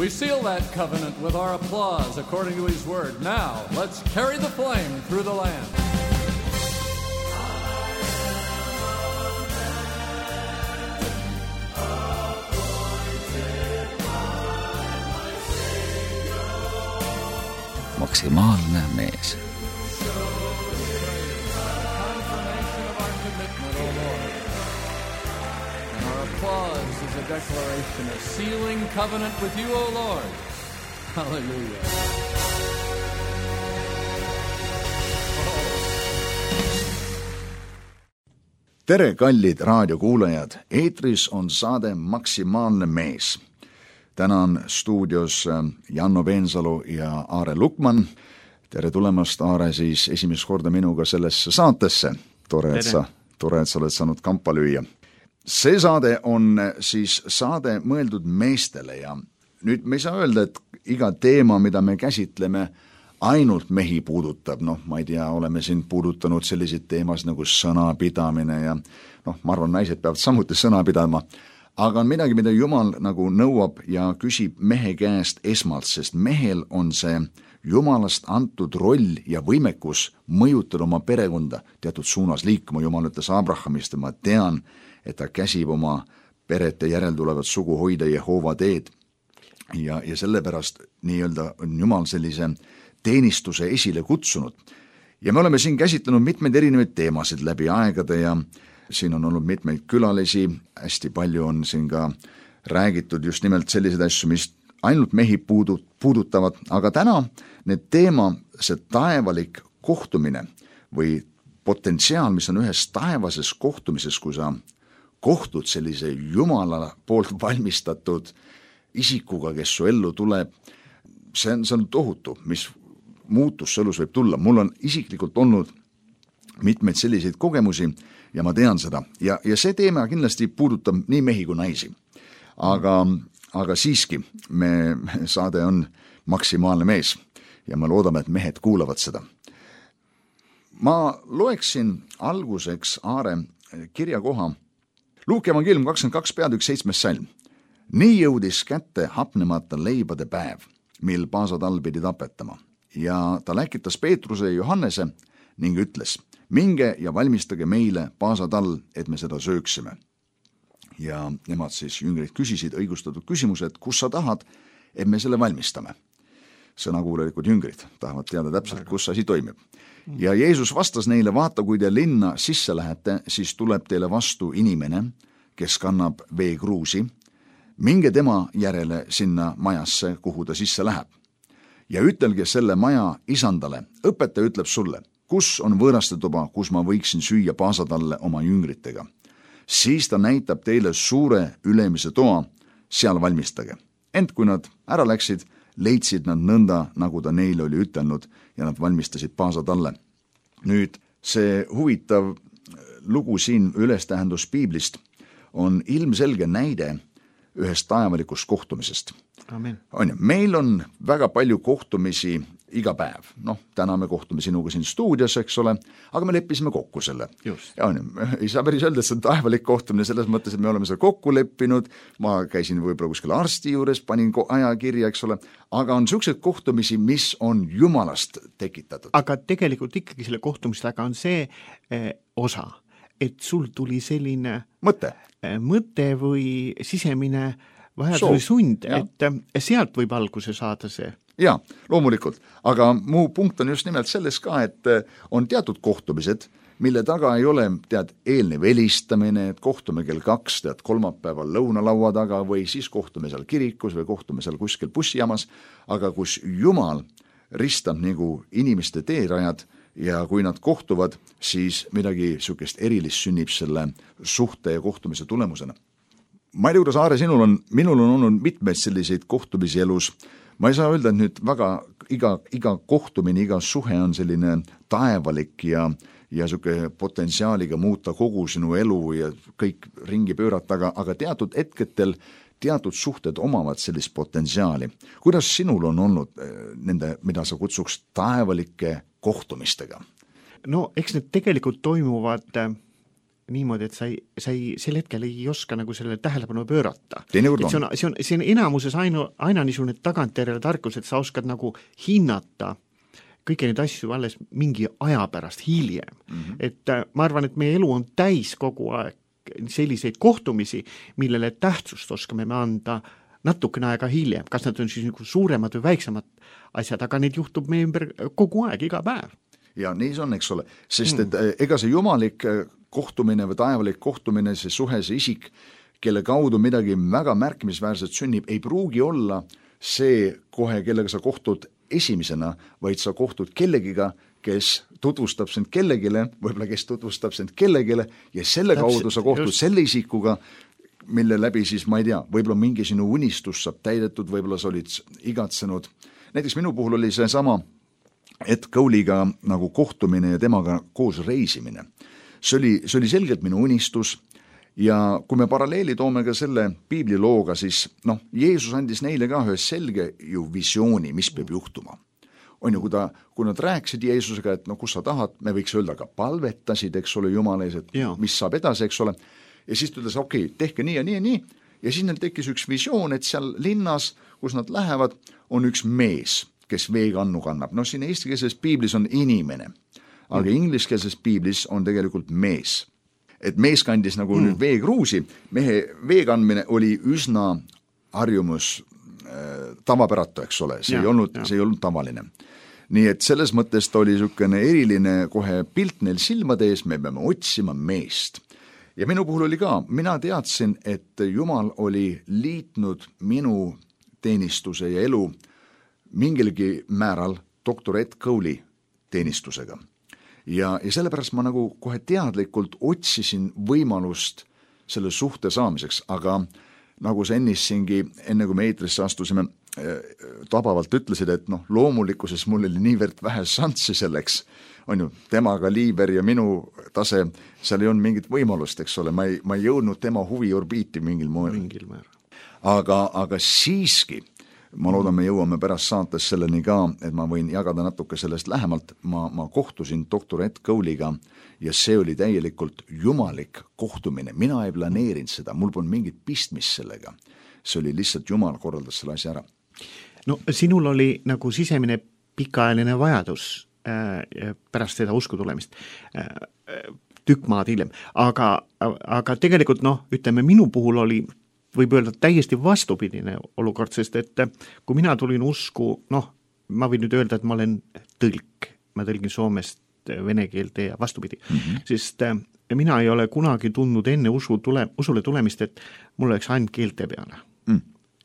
We seal that covenant with our applause according to his word. Now, let's carry the flame through the land. Maksimaalne mees. Applause is a declaration of sealing covenant with you, O Lord. Hallelujah. Tere, kallid raadiokuulajad! Eetris on saade Maksimaalne mees. Täna on stuudios Janno Peensalu ja Aare Lukman. Tere tulemast, Aare, siis esimest korda minuga sellesse saatesse. Tore, et sa oled saanud kampa lüüa. See saade on siis saade mõeldud meestele ja nüüd me ei saa öelda, et iga teema, mida me käsitleme, ainult mehi puudutab. Ma ei tea, oleme siin puudutanud selliseid teemas nagu sõnapidamine ja ma arvan, naised peavad samuti sõna pidama. Aga on midagi, mida Jumal nagu nõuab ja küsib mehe käest esmalt, sest mehel on see Jumalast antud roll ja võimekus mõjutada oma perekonda teatud suunas liikuma. Jumal ütles Abrahamist ja ma tean, et ta käsib oma perete järeltulevat sugu hoida Jehova teed. Ja sellepärast nii-öelda on Jumal sellise teenistuse esile kutsunud. Ja me oleme siin käsitlenud mitmeid erinevaid teemasid läbi aegade ja siin on olnud mitmeid külalisi, hästi palju on siin ka räägitud just nimelt selliseid asju, mis ainult mehi puudutavad, aga täna need teema, see taevalik kohtumine või potentsiaal, mis on ühes taevases kohtumises, kui sa kohtud sellise Jumala poolt valmistatud isikuga, kes su ellu tuleb, see on tohutu, mis muutus elus võib tulla. Mul on isiklikult olnud mitmeid selliseid kogemusi ja ma tean seda. Ja see teema kindlasti puudutab nii mehi kui naisi. Aga siiski, saade on Maksimaalne mees ja me loodame, et mehed kuulavad seda. Ma loeksin alguseks, Aare, kirjakoha Luuke evangeelium 22 peatükk 7. salm. Nii jõudis kätte hapnemata leibade päev, mil paasatall pidi tapetama. Ja ta läkitas Peetruse ja Johannese ning ütles, minge ja valmistage meile paasatall, et me seda sööksime. Ja nemad siis jüngrid küsisid õigustatud küsimuse, et kus sa tahad, et me selle valmistame. Sõnakuulelikud jüngrid tahavad teada täpselt, kus asi toimib. Ja Jeesus vastas neile, vaata, kui te linna sisse lähete, siis tuleb teile vastu inimene, kes kannab veekruusi. Minge tema järele sinna majasse, kuhu ta sisse läheb. Ja ütelge selle maja isandale, õpetaja ütleb sulle, kus on võõrastetuba, kus ma võiksin süüa paasatalle oma jüngritega. Siis ta näitab teile suure ülemise toa, seal valmistage. Ent kui nad ära läksid, leidsid nad nõnda, nagu ta neile oli ütelnud ja nad valmistasid paasatalle. Nüüd see huvitav lugu siin ülestähendus Piiblist on ilmselge näide ühest taevalikust kohtumisest. Amen. Meil on väga palju kohtumisi iga päev. Täna me kohtume sinuga siin stuudios, eks ole, aga me leppisime kokku selle. Ja ei saa päris öelda, et see on taevalik kohtumine selles mõttes, et me oleme seda kokku leppinud. Ma käisin võib-olla kuskil arsti juures, panin aja kirja, eks ole, aga on sellised kohtumisi, mis on Jumalast tekitatud. Aga tegelikult ikkagi selle kohtumist taga on see osa, et sul tuli selline mõte või sisemine vajadus või sund, et sealt võib alguse saada see. Jaa, loomulikult. Aga muu punkt on just nimelt selles ka, et on teatud kohtumised, mille taga ei ole, eelnev helistamine, et kohtume kell 2, kolmapäeval lõunalaua taga või siis kohtume seal kirikus või kohtume seal kuskil bussijamas, aga kus Jumal ristab nagu inimeste teerajad ja kui nad kohtuvad, siis midagi sukest erilist sünnib selle suhte ja kohtumise tulemusena. Ma ei tea, kuidas, Aare, minul on olnud mitmeid selliseid kohtumisi elus. Ma ei saa öelda, et nüüd väga iga kohtumine, iga suhe on selline taevalik ja selline potentsiaaliga muuta kogu sinu elu ja kõik ringi pöörata, aga teatud hetketel teatud suhted omavad sellist potentsiaali. Kuidas sinul on olnud nende, mida sa kutsuks taevalike kohtumistega? No eks need tegelikult toimuvad niimoodi, et sa ei sel hetkel ei oska nagu sellele tähelepanu pöörata. See on enamuses aina niisugune tagantjärele tarkus, et sa oskad nagu hinnata kõiki neid asju alles mingi aja pärast hiljem. Et ma arvan, et meie elu on täis kogu aeg selliseid kohtumisi, millele tähtsust oskame me anda natukene aega hiljem. Kas nad on siis nagu suuremad või väiksemad asjad, aga neid juhtub meie ümber kogu aeg, iga päev. Ja nii see on, eks ole, sest et ega see jumalik kohtumine või taevalik kohtumine, see suhe, see isik, kelle kaudu midagi väga märkimisväärselt sünnib, ei pruugi olla see kohe, kellega sa kohtud esimesena, vaid sa kohtud kellegiga, kes tutvustab sind kellegile, võib-olla kes tutvustab sind kellegile ja selle kaudu sa kohtud selle isikuga, mille läbi siis, ma ei tea, võib-olla mingi sinu unistus saab täidetud, võib-olla sa olid igatsenud. Näiteks minu puhul oli see sama Ed Cole'iga nagu kohtumine ja temaga koos reisimine. See oli selgelt minu unistus ja kui me paralleeli toome ka selle piiblilooga, siis Jeesus andis neile ka ühe selge ju visiooni, mis peab juhtuma. On ju, kui nad rääkisid Jeesusega, et kus sa tahad, me võiks öelda ka palvetasid, eks ole, Jumala ees, et mis saab edasi, eks ole. Ja siis ta ütles, okei, tehke nii ja nii ja nii. Ja siis neil tekkis üks visioon, et seal linnas, kus nad lähevad, on üks mees, kes veekannu kannab. Siin eestikeelses piiblis on inimene, aga ingliskeelses piiblis on tegelikult mees. Et mees kandis nagu nüüd veekruusi, mehe veekandmine oli üsna harjumus tavapäratu, eks ole, see ei olnud tavaline. Nii et selles mõttes ta oli niisugune eriline kohe pilt neil silmade ees, me peame otsima meest. Ja minu puhul oli ka, mina teadsin, et Jumal oli liitnud minu teenistuse ja elu mingilgi määral doktor Ed Cole'i teenistusega. Ja sellepärast ma nagu kohe teadlikult otsisin võimalust selle suhte saamiseks, aga nagu sa enne kui me eetrisse astusime, tabavalt ütlesid, et loomulikkuses mul oli niivõrd vähe šanssi selleks, on ju, tema kaliiber ja minu tase, seal ei olnud mingit võimalust, eks ole, ma ei jõudnud tema huviorbiiti mingil määral. Aga siiski, ma loodan, me jõuame pärast saates selleni ka, et ma võin jagada natuke sellest lähemalt, ma kohtusin doktor Ed Cole'iga ja see oli täielikult jumalik kohtumine, mina ei planeerinud seda, mul polnud mingit pistmist sellega, see oli lihtsalt Jumal korraldas selle asja ära. Sinul oli nagu sisemine pikaajaline vajadus pärast seda usku tulemist tükk maad hiljem, aga tegelikult ütleme, minu puhul oli võib öelda täiesti vastupidine olukord, sest et kui mina tulin usku, ma võin nüüd öelda, et ma olen tõlk, ma tõlgin Soomest vene keelde ja vastupidi, sest mina ei ole kunagi tundnud enne usule tulemist, et mul oleks ainult keelte peale.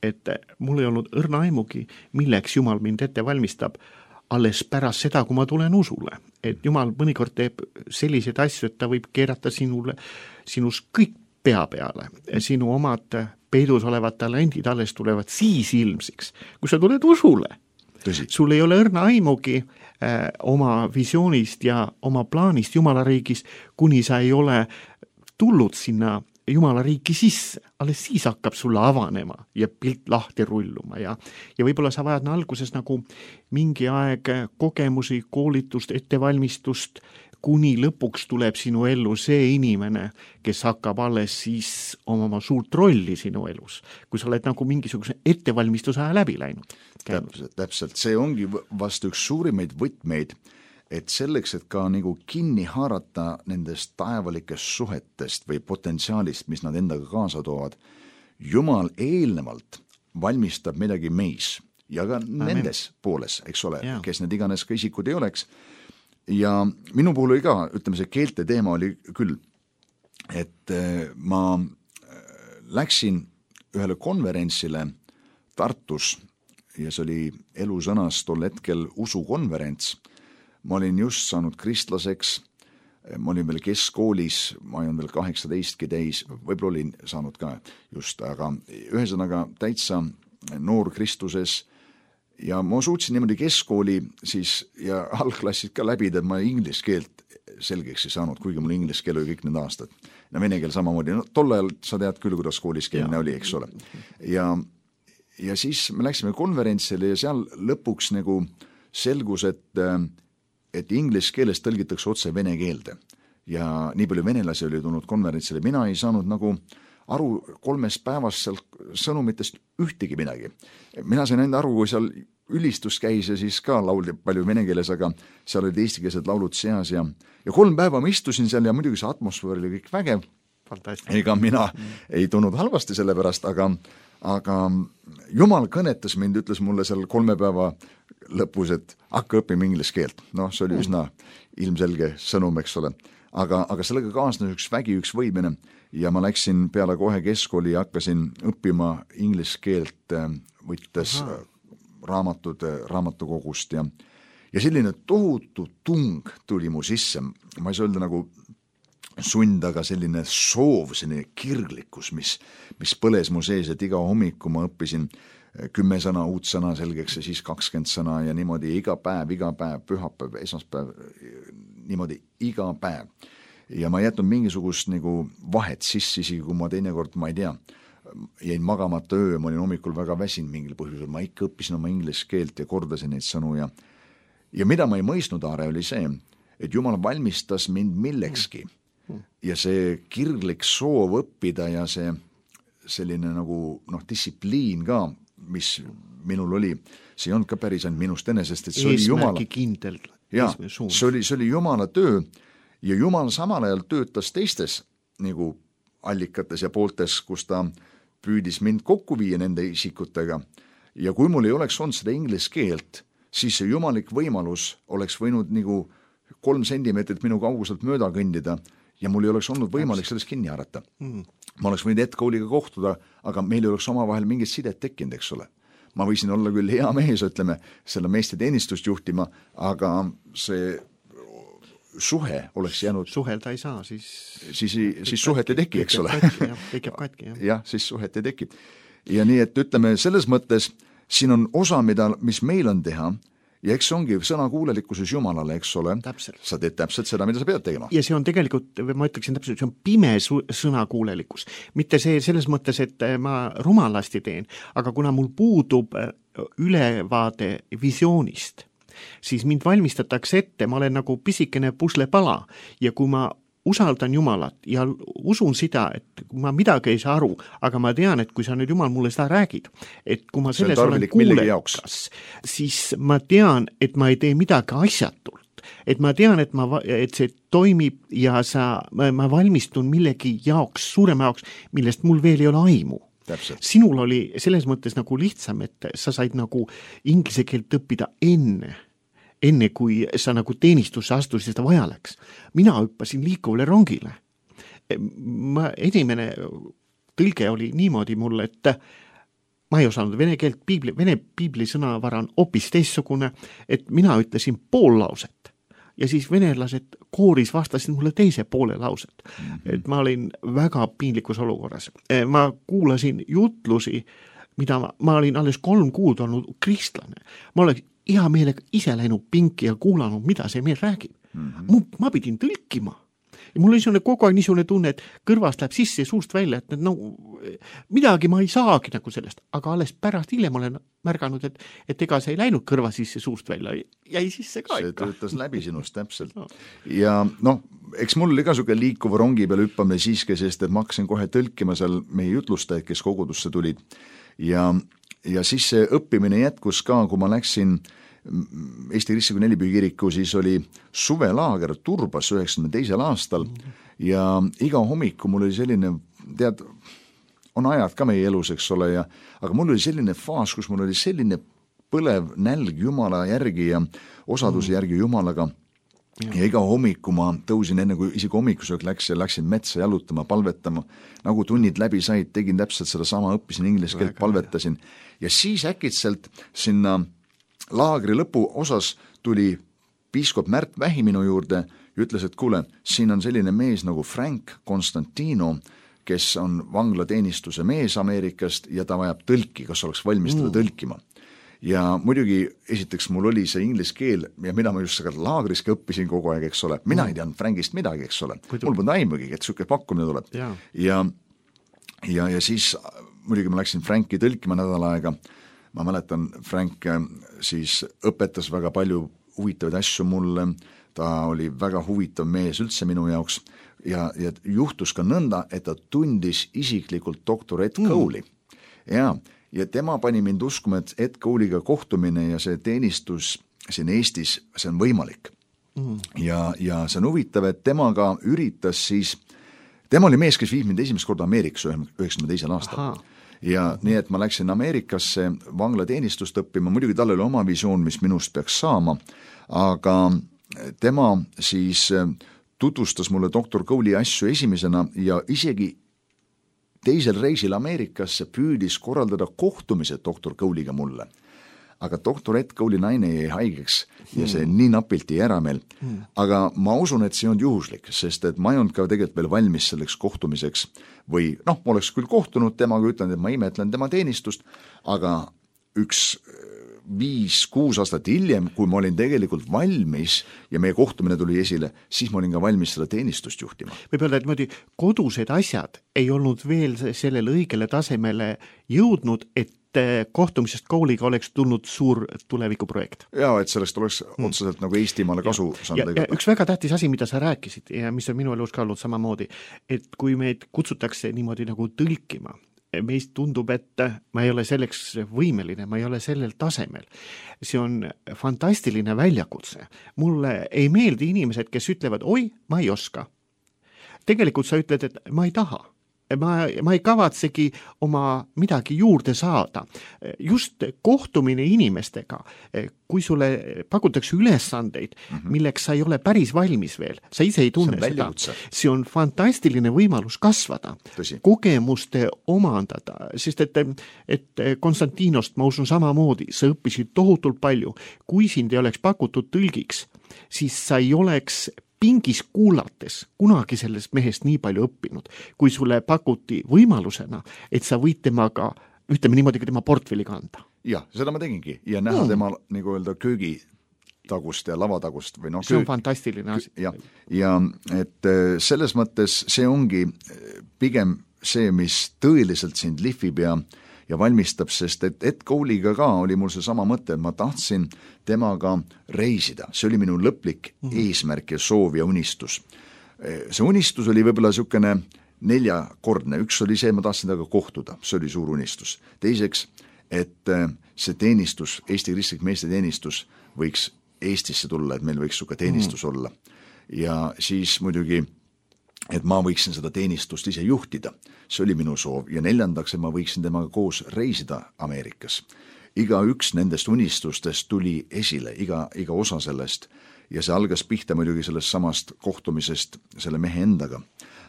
Et mul ei olnud õrna aimugi, milleks Jumal mind ette valmistab alles pärast seda, kui ma tulen usule. Et Jumal mõnikord teeb selliseid asju, et ta võib keerata sinus kõik pea peale. Sinu omad peidus olevad talendid alles tulevad siis ilmsiks, kui sa tuled usule. Tõsi. Sul ei ole õrna aimugi oma visioonist ja oma plaanist Jumala riigis, kuni sa ei ole tulnud sinna Jumala riiki sisse. Alles siis hakkab sulle avanema ja pilt lahti rulluma ja võib-olla sa vajad alguses nagu mingi aeg kogemusi, koolitust, ettevalmistust, kuni lõpuks tuleb sinu ellu see inimene, kes hakkab alles siis oma suurt rolli sinu elus, kui sa oled nagu mingisuguse ettevalmistusaja läbi läinud. Täpselt, see ongi vast üks suurimaid võtmeid, et selleks, et ka nagu kinni haarata nendest taevalikest suhetest või potentsiaalist, mis nad endaga kaasa toovad, Jumal eelnevalt valmistab midagi meis ja ka nendes pooles, eks ole, kes need iganes ka isikud ei oleks. Ja minu puhul oli ka, ütleme, see keelte teema oli küll, et ma läksin ühele konverentsile Tartus ja see oli elusõnas tol hetkel usukonverents. Ma olin just saanud kristlaseks, ma olin veel keskkoolis, ma olin veel 18 täis, võib-olla olin saanud ka just, aga ühesõnaga täitsa noor Kristuses ja ma suutsin niimoodi keskkooli siis ja algklassid ka läbida, et ma inglise keelt selgeks ei saanud, kuigi mul inglise keel oli kõik need aastad. Ja vene keel samamoodi, tol ajal sa tead küll, kuidas koolis keelne oli, eks ole. Ja siis me läksime konverentsile ja seal lõpuks nagu selgus, et inglise keelest tõlgitakse otse vene keelde. ja nii palju venelasi oli tulnud konverentsile, mina ei saanud nagu aru 3 päevast seal sõnumitest ühtegi midagi. Mina sain enda aru, kui seal ülistus käis ja siis ka lauldi palju vene keeles, aga seal olid eestikeelsed laulud seas ja 3 päeva ma istusin seal ja muidugi see atmosfäär oli kõik vägev. Ega mina ei tulnud halvasti selle pärast, aga Jumal kõnetas mind, ütles mulle seal 3 päeva lõpus, et hakka õppima inglise keelt. See oli üsna ilmselge sõnum, eks ole. Aga sellega kaasnes üks vägi, üks võimene ja ma läksin peale kohe keskkooli ja hakkasin õppima inglise keelt, võttes raamatukogust ja selline tohutu tung tuli mu sisse. Ma ei saa öelda nagu sund, aga selline soov, selline kirglikkus, mis põles mu sees, et iga hommiku ma õppisin 10 sõna, uut sõna selgeks ja siis 20 sõna ja niimoodi iga päev, pühapäev, esmaspäev, niimoodi iga päev. Ja ma ei jätnud mingisugust nagu vahet sisse, isegi kui ma teinekord, ma ei tea, jäin magamata öö, ma olin hommikul väga väsinud mingil põhjusel, ma ikka õppisin oma inglise keelt ja kordasin neid sõnu ja mida ma ei mõistnud, Aare, oli see, et Jumal valmistas mind millekski ja see kirglik soov õppida ja see selline nagu distsipliin ka, mis minul oli, see ei olnud ka päris ainult minust enesest, et see oli Jumala kindel. Ja, see oli Jumala töö ja Jumal samal ajal töötas teistes nagu allikates ja pooltes, kus ta püüdis mind kokku viia nende isikutega ja kui mul ei oleks olnud seda inglise keelt, siis see jumalik võimalus oleks võinud nagu 3 sentimeetrit minu kauguselt mööda kõndida ja mul ei oleks olnud võimalik sellest kinni haarata. Ma oleks võinud Edkooliga kohtuda, aga meil ei oleks omavahel mingit sidet tekkinud, eks ole. Ma võisin olla küll hea mees, ütleme, selle meeste teenistust juhtima, aga see suhe oleks jäänud... Suhelda ei saa, siis suhet ei teki, eks ole. Jah, siis suhet ei teki. Ja nii, et ütleme, selles mõttes siin on osa, mis meil on teha, ja eks ongi sõnakuulelikkuses Jumalale, eks ole. Täpselt. Sa teed täpselt seda, mida sa pead tegema. Ja see on tegelikult, ma ütleksin täpselt, see on pime sõnakuulelikkus. Mitte see selles mõttes, et ma rumalasti teen, aga kuna mul puudub ülevaade visioonist, siis mind valmistatakse ette, ma olen nagu pisikene puslepala ja kui ma usaldan Jumalat ja usun seda, et ma midagi ei saa aru, aga ma tean, et kui sa nüüd Jumal mulle seda räägid, et kui ma selles olen kuulekas, siis ma tean, et ma ei tee midagi asjatult, et ma tean, et see toimib ja ma valmistun millegi jaoks, suurema jaoks, millest mul veel ei ole aimu. Täpselt. Sinul oli selles mõttes nagu lihtsam, et sa said nagu inglise keelt õppida enne kui sa nagu teenistusse astusid, seda vaja läks. Mina hüppasin liikuvale rongile. Esimene tõlge oli niimoodi mulle, et ma ei osanud vene keelt, vene piibli sõnavara on hoopis teistsugune, et mina ütlesin pool lauset ja siis venelased kooris vastasid mulle teise poole lauset. Et ma olin väga piinlikus olukorras. Ma kuulasin jutlusi, mida ma olin alles 3 kuud olnud kristlane. Ma oleks hea meelega ise läinud pinki ja kuulanud, mida see meil räägib. Ma pidin tõlkima. Ja mul oli kogu aeg niisugune tunne, et kõrvast läheb sisse ja suust välja, et midagi ma ei saagi nagu sellest, aga alles pärast hiljem olen märganud, et ega see ei läinud kõrva sisse suust välja, jäi sisse ka ikka. See töötas läbi sinust täpselt. Ja eks mul oli ka suke liikuva rongi peal hüppamine siiski, sest et ma hakkasin kohe tõlkima seal meie jutlustajad, kes kogudusse tulid ja siis see õppimine jätkus ka, kui ma läksin Eesti Kristliku Nelipühi-kiriku, siis oli suvelaager Turbas 92. aastal ja iga hommiku mul oli selline, tead, on ajad ka meie elus, eks ole, aga mul oli selline faas, kus mul oli selline põlev nälg Jumala järgi ja osaduse järgi Jumalaga ja iga hommiku ma tõusin enne, kui isegi hommikusöök läks ja läksin metsa jalutama, palvetama, nagu tunnid läbi said, tegin täpselt seda sama, õppisin inglise keelt, palvetasin ja siis äkitselt sinna laagri lõpu osas tuli piiskop Märt Vähi minu juurde ja ütles, et kuule, siin on selline mees nagu Frank Constantino, kes on vanglateenistuse mees Ameerikast ja ta vajab tõlki, kas oleks valmis teda tõlkima. Ja muidugi esiteks mul oli see inglise keel ja mida ma just laagriski õppisin kogu aeg, eks ole. Mina ei tean Frankist midagi, eks ole. Mul polnud aimugi, et selline pakkumine tuleb. Ja siis muidugi ma läksin Franki tõlkima nädal aega. Ma mäletan, Frank siis õpetas väga palju huvitavaid asju mulle, ta oli väga huvitav mees üldse minu jaoks ja juhtus ka nõnda, et ta tundis isiklikult doktor Ed Cole'i. Ja tema pani mind uskuma, et Ed Cole'iga kohtumine ja see teenistus siin Eestis, see on võimalik. Ja see on huvitav, et temaga üritas siis, tema oli mees, kes viib mind esimest korda Ameerikas 92. aastal. Ja nii, et ma läksin Ameerikasse vanglateenistust õppima, muidugi tal oli oma visioon, mis minust peaks saama, aga tema siis tutvustas mulle doktor Cole'i asju esimesena ja isegi teisel reisil Ameerikasse püüdis korraldada kohtumised doktor Cole'iga mulle. Aga doktor Ed Cole'i naine jäi haigeks ja see nii napilt jäi ära meil. Aga ma usun, et see on juhuslik, sest et ma ei olnud ka tegelikult veel valmis selleks kohtumiseks või ma oleks küll kohtunud temaga, ütlen, et ma imetlen tema teenistust, aga 5-6 aastat hiljem, kui ma olin tegelikult valmis ja meie kohtumine tuli esile, siis ma olin ka valmis seda teenistust juhtima. Võib öelda, et kodused asjad ei olnud veel sellele õigele tasemele jõudnud, et kohtumisest Cole'iga oleks tulnud suur tulevikuprojekt. Ja, et sellest oleks otseselt nagu Eestimaale kasu saanud. Ja üks väga tähtis asi, mida sa rääkisid ja mis on minu elus ka olnud samamoodi, et kui meid kutsutakse niimoodi nagu tõlkima, meist tundub, et ma ei ole selleks võimeline, ma ei ole sellel tasemel. See on fantastiline väljakutse. Mulle ei meeldi inimesed, kes ütlevad, oi, ma ei oska. Tegelikult sa ütled, et ma ei taha. Ma ei kavatsegi oma midagi juurde saada. Just kohtumine inimestega, kui sulle pakutakse ülesandeid, milleks sa ei ole päris valmis veel, sa ise ei tunne seda. See on fantastiline võimalus kasvada, kogemuste omandada, sest et Konstantinost ma usun samamoodi, sa õppisid tohutult palju. Kui sind ei oleks pakutud tõlgiks, siis sa ei oleks pingis kuulates kunagi sellest mehest nii palju õppinud, kui sulle pakuti võimalusena, et sa võid temaga, ütleme niimoodi, tema portfelli kanda. Jah, seda ma tegingi ja näha tema nagu öelda köögitagust ja lavatagust. Või see on fantastiline asi. Ja et selles mõttes see ongi pigem see, mis tõeliselt sind lihvib ja valmistab, sest et Ed Cole'iga ka oli mul see sama mõte, et ma tahtsin temaga reisida. See oli minu lõplik eesmärk ja soov ja unistus. See unistus oli võib-olla niisugune 4-kordne. Üks oli see, ma tahtsin temaga kohtuda. See oli suur unistus. Teiseks, et see teenistus, Eesti kristlik meeste teenistus võiks Eestisse tulla, et meil võiks niisugune teenistus olla. Ja siis muidugi et ma võiksin seda teenistust ise juhtida. See oli minu soov. Ja 4. et ma võiksin temaga koos reisida Ameerikas. Iga üks nendest unistustest tuli esile, iga osa sellest. Ja see algas pihta muidugi sellest samast kohtumisest selle mehe endaga.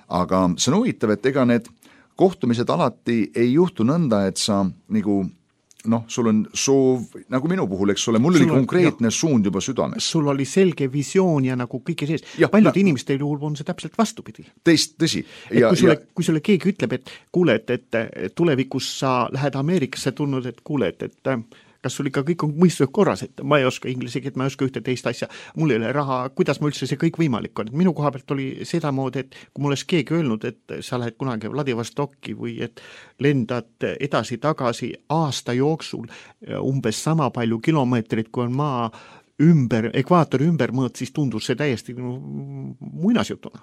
Aga see on huvitav, et ega need kohtumised alati ei juhtu nõnda, et sa nagu sul on soov, nagu minu puhul, eks ole, mul oli konkreetne suund juba südames. Sul oli selge visioon ja nagu kõige sees. Paljud inimeste juhul on see täpselt vastupidi. Tõsi. Kui sulle keegi ütleb, et kuule, et tulevikus sa lähed Ameerikasse tulnud, et kuule, et kas sul ikka kõik on mõistused korras, et ma ei oska inglise keelt, ma ei oska ühte teist asja, mul ei ole raha, kuidas ma üldse see kõik võimalik on. Minu koha pealt oli sedamoodi, et kui mul oleks keegi öelnud, et sa lähed kunagi Vladivostokki või et lendad edasi-tagasi aasta jooksul umbes sama palju kilomeetrit, kui on maa ekvaatori ümber mõõt, siis tundus see täiesti muinasjutuna.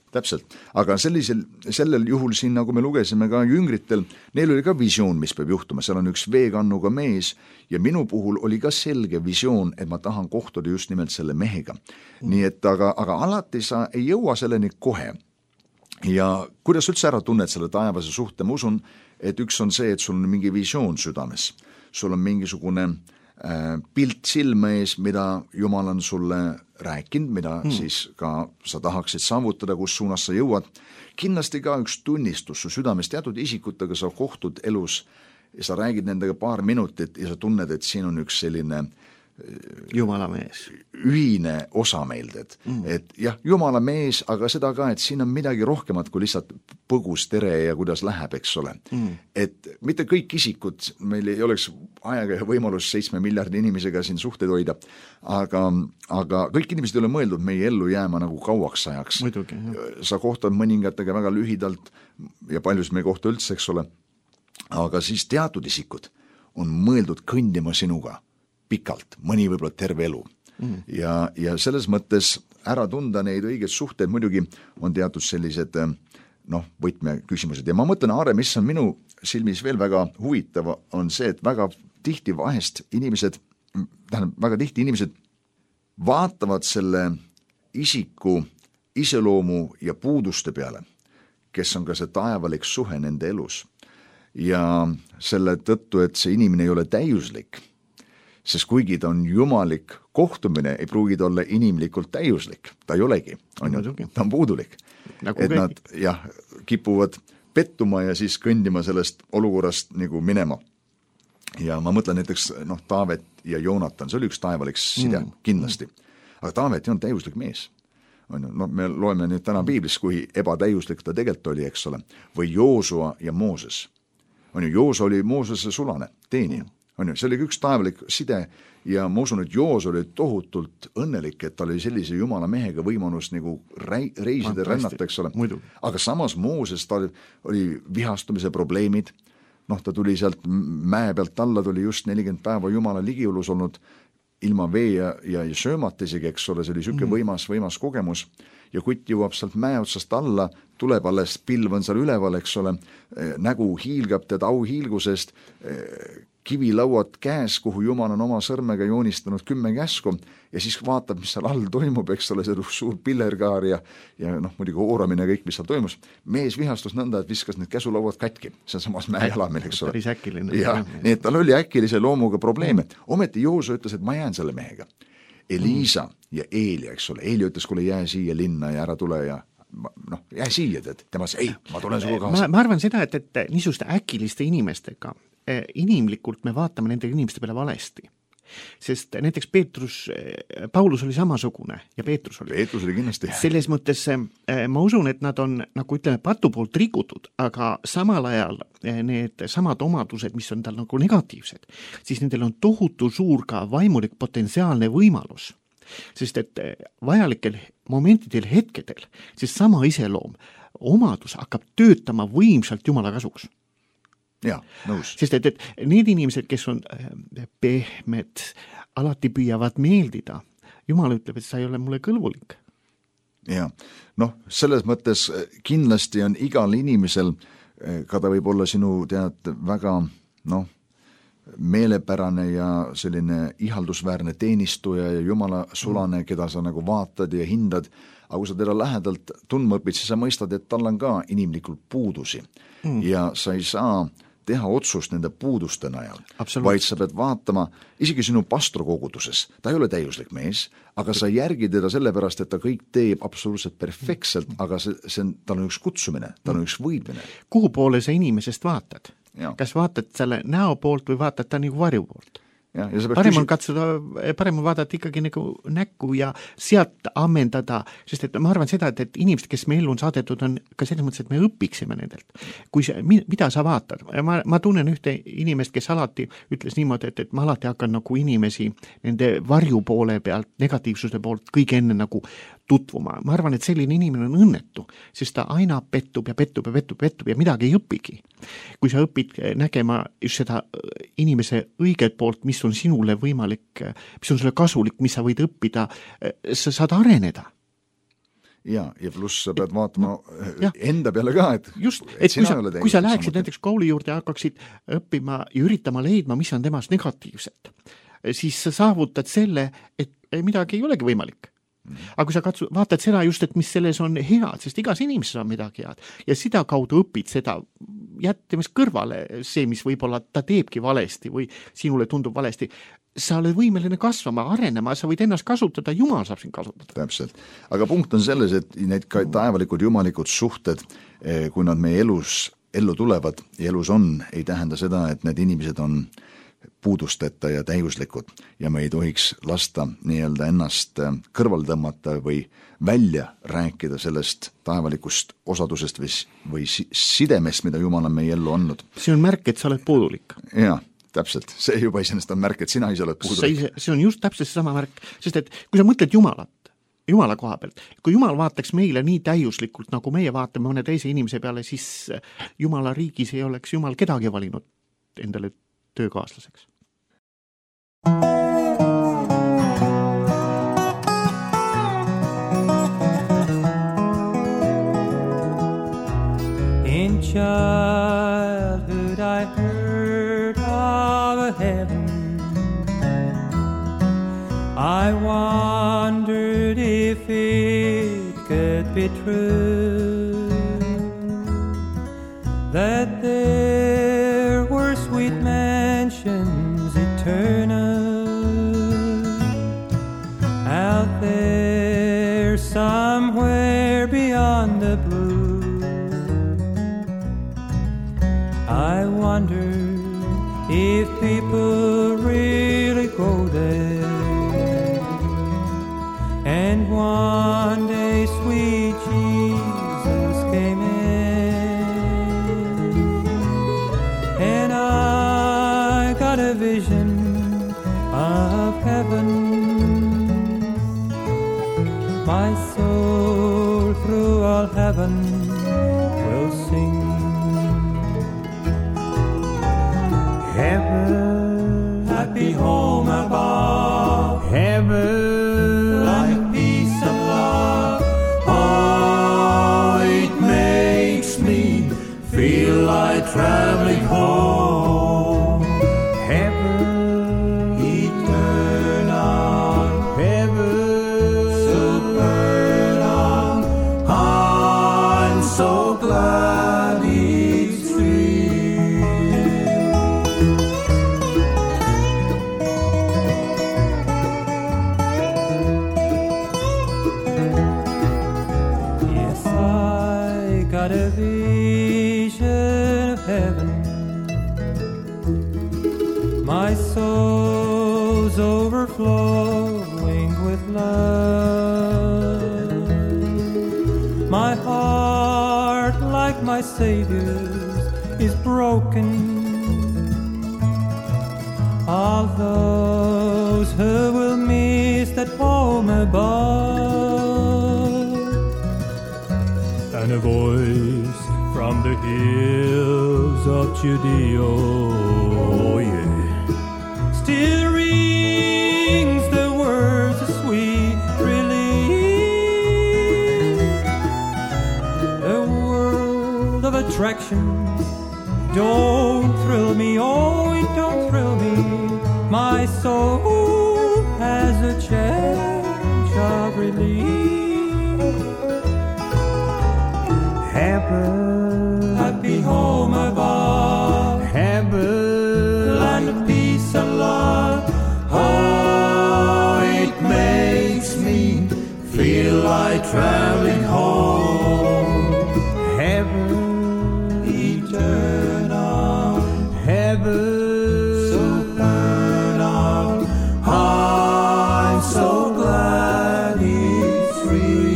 Täpselt, aga sellel juhul siin, nagu me lugesime ka jüngritel, neil oli ka visioon, mis peab juhtuma, seal on üks veekannuga mees ja minu puhul oli ka selge visioon, et ma tahan kohtuda just nimelt selle mehega. Nii et aga alati sa ei jõua selleni kohe. Ja kuidas üldse ära tunned selle taevase suhte, ma usun, et üks on see, et sul on mingi visioon südames, sul on mingisugune pilt silma ees, mida Jumal on sulle rääkinud, mida siis ka sa tahaksid saavutada, kus suunas sa jõuad. Kindlasti ka üks tunnistus su südames, teatud isikutega sa kohtud elus ja sa räägid nendega paar minutit ja sa tunned, et siin on üks selline Jumala mees. Ühine osa meil, et jah, Jumala mees, aga seda ka, et siin on midagi rohkemat kui lihtsalt põgus tere ja kuidas läheb, eks ole. Et mitte kõik isikud, meil ei oleks ajaga ja võimalus 7 miljardi inimesega siin suhteid hoida, aga kõik inimesed ei ole mõeldud meie ellu jääma nagu kauaks ajaks. Muidugi, sa kohtad mõningatega väga lühidalt ja paljus me kohta üldse, eks ole, aga siis teatud isikud on mõeldud kõndima sinuga pikalt, mõni võib-olla terve elu. ja selles mõttes ära tunda neid õigeid suhteid muidugi on teatud sellised võtmeküsimused. Ja ma mõtlen, Aare, mis on minu silmis veel väga huvitav, on see, et väga tihti inimesed vaatavad selle isiku iseloomu ja puuduste peale, kes on ka see taevalik suhe nende elus. Ja selle tõttu, et see inimene ei ole täiuslik, sest kuigi ta on jumalik kohtumine, ei pruugi ta olla inimlikult täiuslik. Ta ei olegi, ta on puudulik. Et nad kipuvad pettuma ja siis kõndima sellest olukorrast nagu minema. Ja ma mõtlen näiteks Taavet ja Joonatan, see oli üks taevalik side, kindlasti. Aga Taavet on täiuslik mees. Me loeme nüüd täna Piiblis, kui ebatäiuslik ta tegelikult oli, eks ole. Või Joosua ja Mooses. Joosua oli Moosese sulane, teenija. See oli üks taevalik side ja ma usun, et Joosua oli tohutult õnnelik, et tal oli sellise jumala mehega võimalus nagu reisida, rännata, eks ole. Aga samas Mooses tal oli vihastumise probleemid. Ta tuli sealt mäe pealt alla, tuli just 40 päeva jumala ligiolus olnud ilma vee ja söömata isegi, eks ole, see oli siuke võimas kogemus ja kutt jõuab sealt mäe otsast alla, tuleb alles, pilv on seal üleval, eks ole, nägu hiilgab teda auhiilgusest, kivilauad käes, kuhu Jumal on oma sõrmega joonistanud 10 käsku ja siis vaatab, mis seal all toimub, eks ole, see suur pillerkaar ja muidugi ooramine kõik, mis seal toimus. Mees vihastus nõnda, et viskas need käsulauad katki, see on samas mäe jalamil, eks ole. Päris äkiline. Ja, nii et tal oli äkilise loomuga probleeme. Ometi Joosua ütles, et ma jään selle mehega. Eliisa ja Eelia, eks ole, Eelia ütles, kuule jää siia linna ja ära tule ja jää siia, tema ei, ma tulen sugu kaasa. Ma arvan seda, et niisuguste äkiliste inimestega inimlikult me vaatame nende inimeste peale valesti. Sest näiteks Paulus oli samasugune ja Peetrus oli kindlasti. Selles mõttes ma usun, et nad on, nagu ütleme, patu poolt rikutud, aga samal ajal need samad omadused, mis on tal nagu negatiivsed, siis nendel on tohutu suur ka vaimulik potentsiaalne võimalus. Sest et vajalikel momentidel, hetkedel, siis sama iseloom, omadus hakkab töötama võimsalt Jumala kasuks. Ja, nõus. Sest et need inimesed, kes on pehmed, alati püüavad meeldida, Jumal ütleb, et sa ei ole mulle kõlbulik. Ja, selles mõttes kindlasti on igal inimesel, ka ta võib olla sinu väga meelepärane ja selline ihaldusväärne teenistuja ja Jumala sulane, keda sa nagu vaatad ja hindad, aga kui sa teda lähedalt tundma õpid, siis sa mõistad, et tal on ka inimlikult puudusi ja sa ei saa teha otsust nende puuduste najal, vaid sa pead vaatama, isegi sinu pastrokoguduses, ta ei ole täiuslik mees, aga sa järgi teda sellepärast, et ta kõik teeb absoluutselt perfektselt, aga tal on üks kutsumine, tal on üks võidmine. Kuhu poole sa inimesest vaatad? Kas vaatad selle näo poolt või vaatad ta nagu varju poolt? Parem on vaadata ikkagi nagu näkku ja sealt ammendada, sest et ma arvan seda, et inimesed, kes me ellu on saadetud, on ka selles mõttes, et me õpiksime nendelt. Mida sa vaatad? Ma tunnen ühte inimest, kes alati ütles niimoodi, et ma alati hakkan nagu inimesi nende varju poole pealt, negatiivsuse poolt kõige enne nagu tutvuma. Ma arvan, et selline inimene on õnnetu, sest ta aina pettub ja midagi ei õpigi. Kui sa õpid nägema just seda inimese õiget poolt, mis on sinule võimalik, mis on sulle kasulik, mis sa võid õppida, sa saad areneda. Ja pluss sa pead vaatama enda peale ka, et just, et kui sa läheksid näiteks kooli juurde ja hakkaksid õppima ja üritama leidma, mis on temast negatiivset, siis sa saavutad selle, et midagi ei olegi võimalik. Aga kui sa vaatad seda just, et mis selles on head, sest igas inimeses on midagi head ja seda kaudu õpid seda, jättemas kõrvale see, mis võib-olla ta teebki valesti või sinule tundub valesti, sa oled võimeline kasvama, arenema, sa võid ennast kasutada, Jumal saab sind kasutada. Täpselt. Aga punkt on selles, et need taevalikud jumalikud suhted, kui nad meie ellu tulevad ja elus on, ei tähenda seda, et need inimesed on puudusteta ja täiuslikud ja me ei tohiks lasta nii-öelda ennast kõrval tõmmata või välja rääkida sellest taevalikust osadusest või sidemest, mida Jumal on meie ellu andnud. See on märk, et sa oled puudulik. Jaa, täpselt. See juba iseenesest on märk, et sina ise oled puudulik. See on just täpselt sama märk, sest et kui sa mõtled Jumala koha pealt, kui Jumal vaataks meile nii täiuslikult, nagu meie vaatame mõne teise inimese peale, siis Jumala riigis ei oleks Jumal kedagi valinud töökaaslaseks. I wondered if it could be true that there were sweet mansions eternal out there somewhere beyond the blue. I wonder if people really go there. And one day sweet Jesus came in, and I got a vision of heaven. My soul through all heaven will sing. Heaven, happy home above, heaven. Feel like traveling home. Heaven, eternal. Heaven, supernal. I'm so glad it's real. Yes, I got a vision of heaven. My soul's overflowing with love. My heart, like my Savior's, is broken. All those who will miss that home above. And a voice from the hills of Judea, oh yeah, still rings the words of sweet relief. The world of attraction don't thrill me, oh it don't thrill me. My soul has a change of relief. Heaven, happy home above, heaven, land of peace and love. Oh, it makes me feel like traveling home. Heaven, eternal, heaven, supernal. I'm so glad it's real.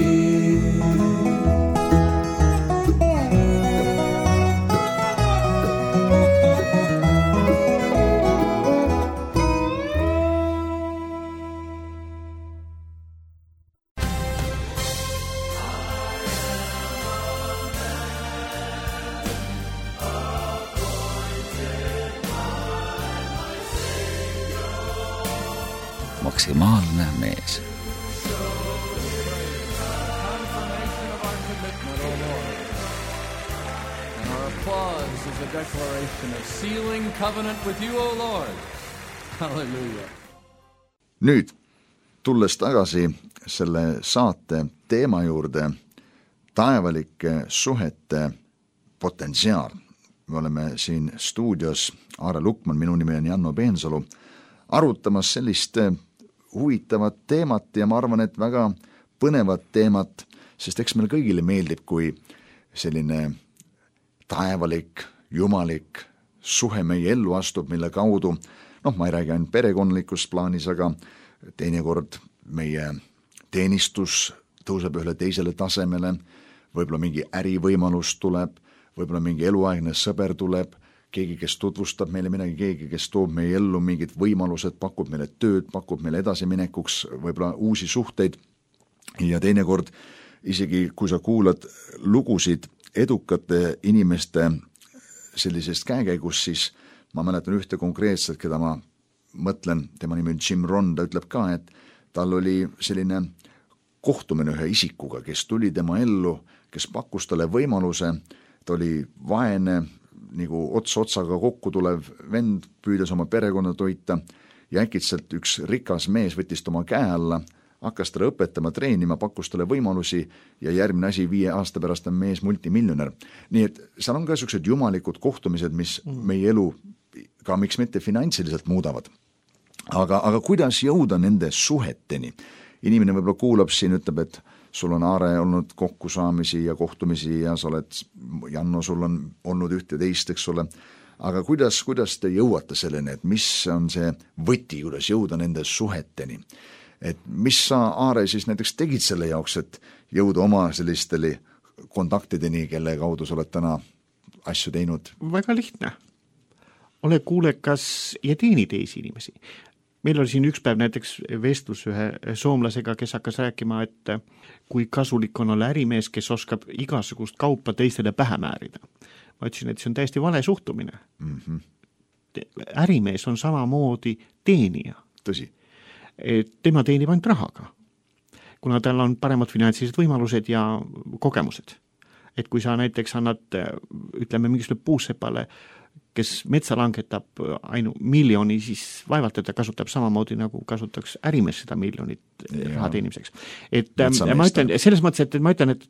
Maksimaalne mees. Applause is a declaration of sealing covenant with you, O Lord. Hallelujah. Nüüd, tulles tagasi selle saate teema juurde, taevalike suhete potentsiaal. Me oleme siin stuudios, Aare Lukman, minu nimi on Janno Peensalu, arutamas sellist huvitavat teemat ja ma arvan, et väga põnevat teemat, sest eks meil kõigile meeldib, kui selline taevalik, jumalik suhe meie ellu astub, mille kaudu, ma ei räägi ainult perekondlikust plaanis, aga teinekord meie teenistus tõuseb ühele teisele tasemele, võib-olla mingi ärivõimalus tuleb, võib-olla mingi eluaegne sõber tuleb, keegi, kes tutvustab meile midagi, keegi, kes toob meie ellu mingid võimalused, pakub meile tööd, pakub meile edasiminekuks võib-olla uusi suhteid ja teinekord isegi, kui sa kuulad lugusid edukate inimeste sellisest käekäigust, siis ma mäletan ühte konkreetselt, keda ma mõtlen, tema nimi on Jim Rohn, ta ütleb ka, et tal oli selline kohtumine ühe isikuga, kes tuli tema ellu, kes pakkus talle võimaluse, ta oli vaene, nagu ots otsaga kokku tulev vend, püüdes oma perekonna toita ja äkitselt üks rikas mees võttis ta oma käe alla, hakkas talle õpetama, treenima, pakkus talle võimalusi ja järgmine asi 5 aasta pärast on mees multimiljonär. Nii et seal on ka sellised jumalikud kohtumised, mis meie elu ka miks mitte finantsiliselt muudavad. Aga kuidas jõuda nende suheteni? Inimene võib-olla kuulab siin, ütleb, et sul on Aare olnud kokkusaamisi ja kohtumisi ja sa oled, Janno, sul on olnud üht ja teist, eks ole. Aga kuidas te jõuate selleni, et mis on see võti, kuidas jõuda nende suheteni? Et mis sa, Aare, siis näiteks tegid selle jaoks, et jõuda oma sellistele kontaktideni, kelle kaudu sa oled täna asju teinud? Väga lihtne. Ole kuulekas ja teeni teisi inimesi. Meil oli siin üks päev näiteks vestlus ühe soomlasega, kes hakkas rääkima, et kui kasulik on olla ärimees, kes oskab igasugust kaupa teistele pähe määrida. Ma ütlesin, et see on täiesti vale suhtumine. Ärimees on samamoodi teenija. Tõsi. Tema teenib ainult rahaga, kuna tal on paremad finantsilised võimalused ja kogemused. Et kui sa näiteks annad, ütleme, mingisugusele puussepale, kes metsa langetab ainu 1 miljoni, siis vaevalt, et ta kasutab samamoodi, nagu kasutaks ärimees seda 1 miljonit raha teenimiseks. Et ma ütlen, selles mõttes, et ma ütlen, et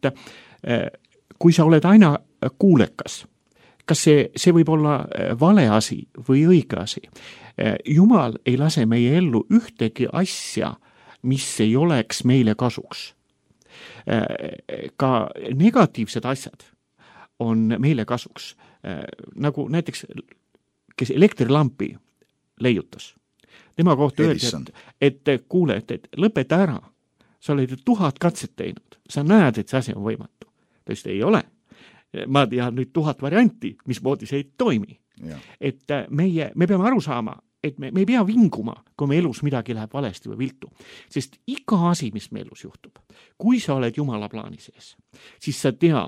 kui sa oled aina kuulekas, kas see võib olla vale asi või õige asi? Jumal ei lase meie ellu ühtegi asja, mis ei oleks meile kasuks. Ka negatiivsed asjad on meile kasuks. Nagu näiteks, kes elektrilampi leiutas. Tema kohta öeldi, et kuule, et lõpeta ära. Sa oled 1000 katset teinud. Sa näed, et see asi on võimatu. Tõesti ei ole. Ma tean nüüd 1000 varianti, mismoodi see ei toimi. Ja. Et me peame aru saama, et me ei pea vinguma, kui me elus midagi läheb valesti või viltu. Sest iga asi, mis me elus juhtub, kui sa oled Jumala plaani sees, siis sa tea,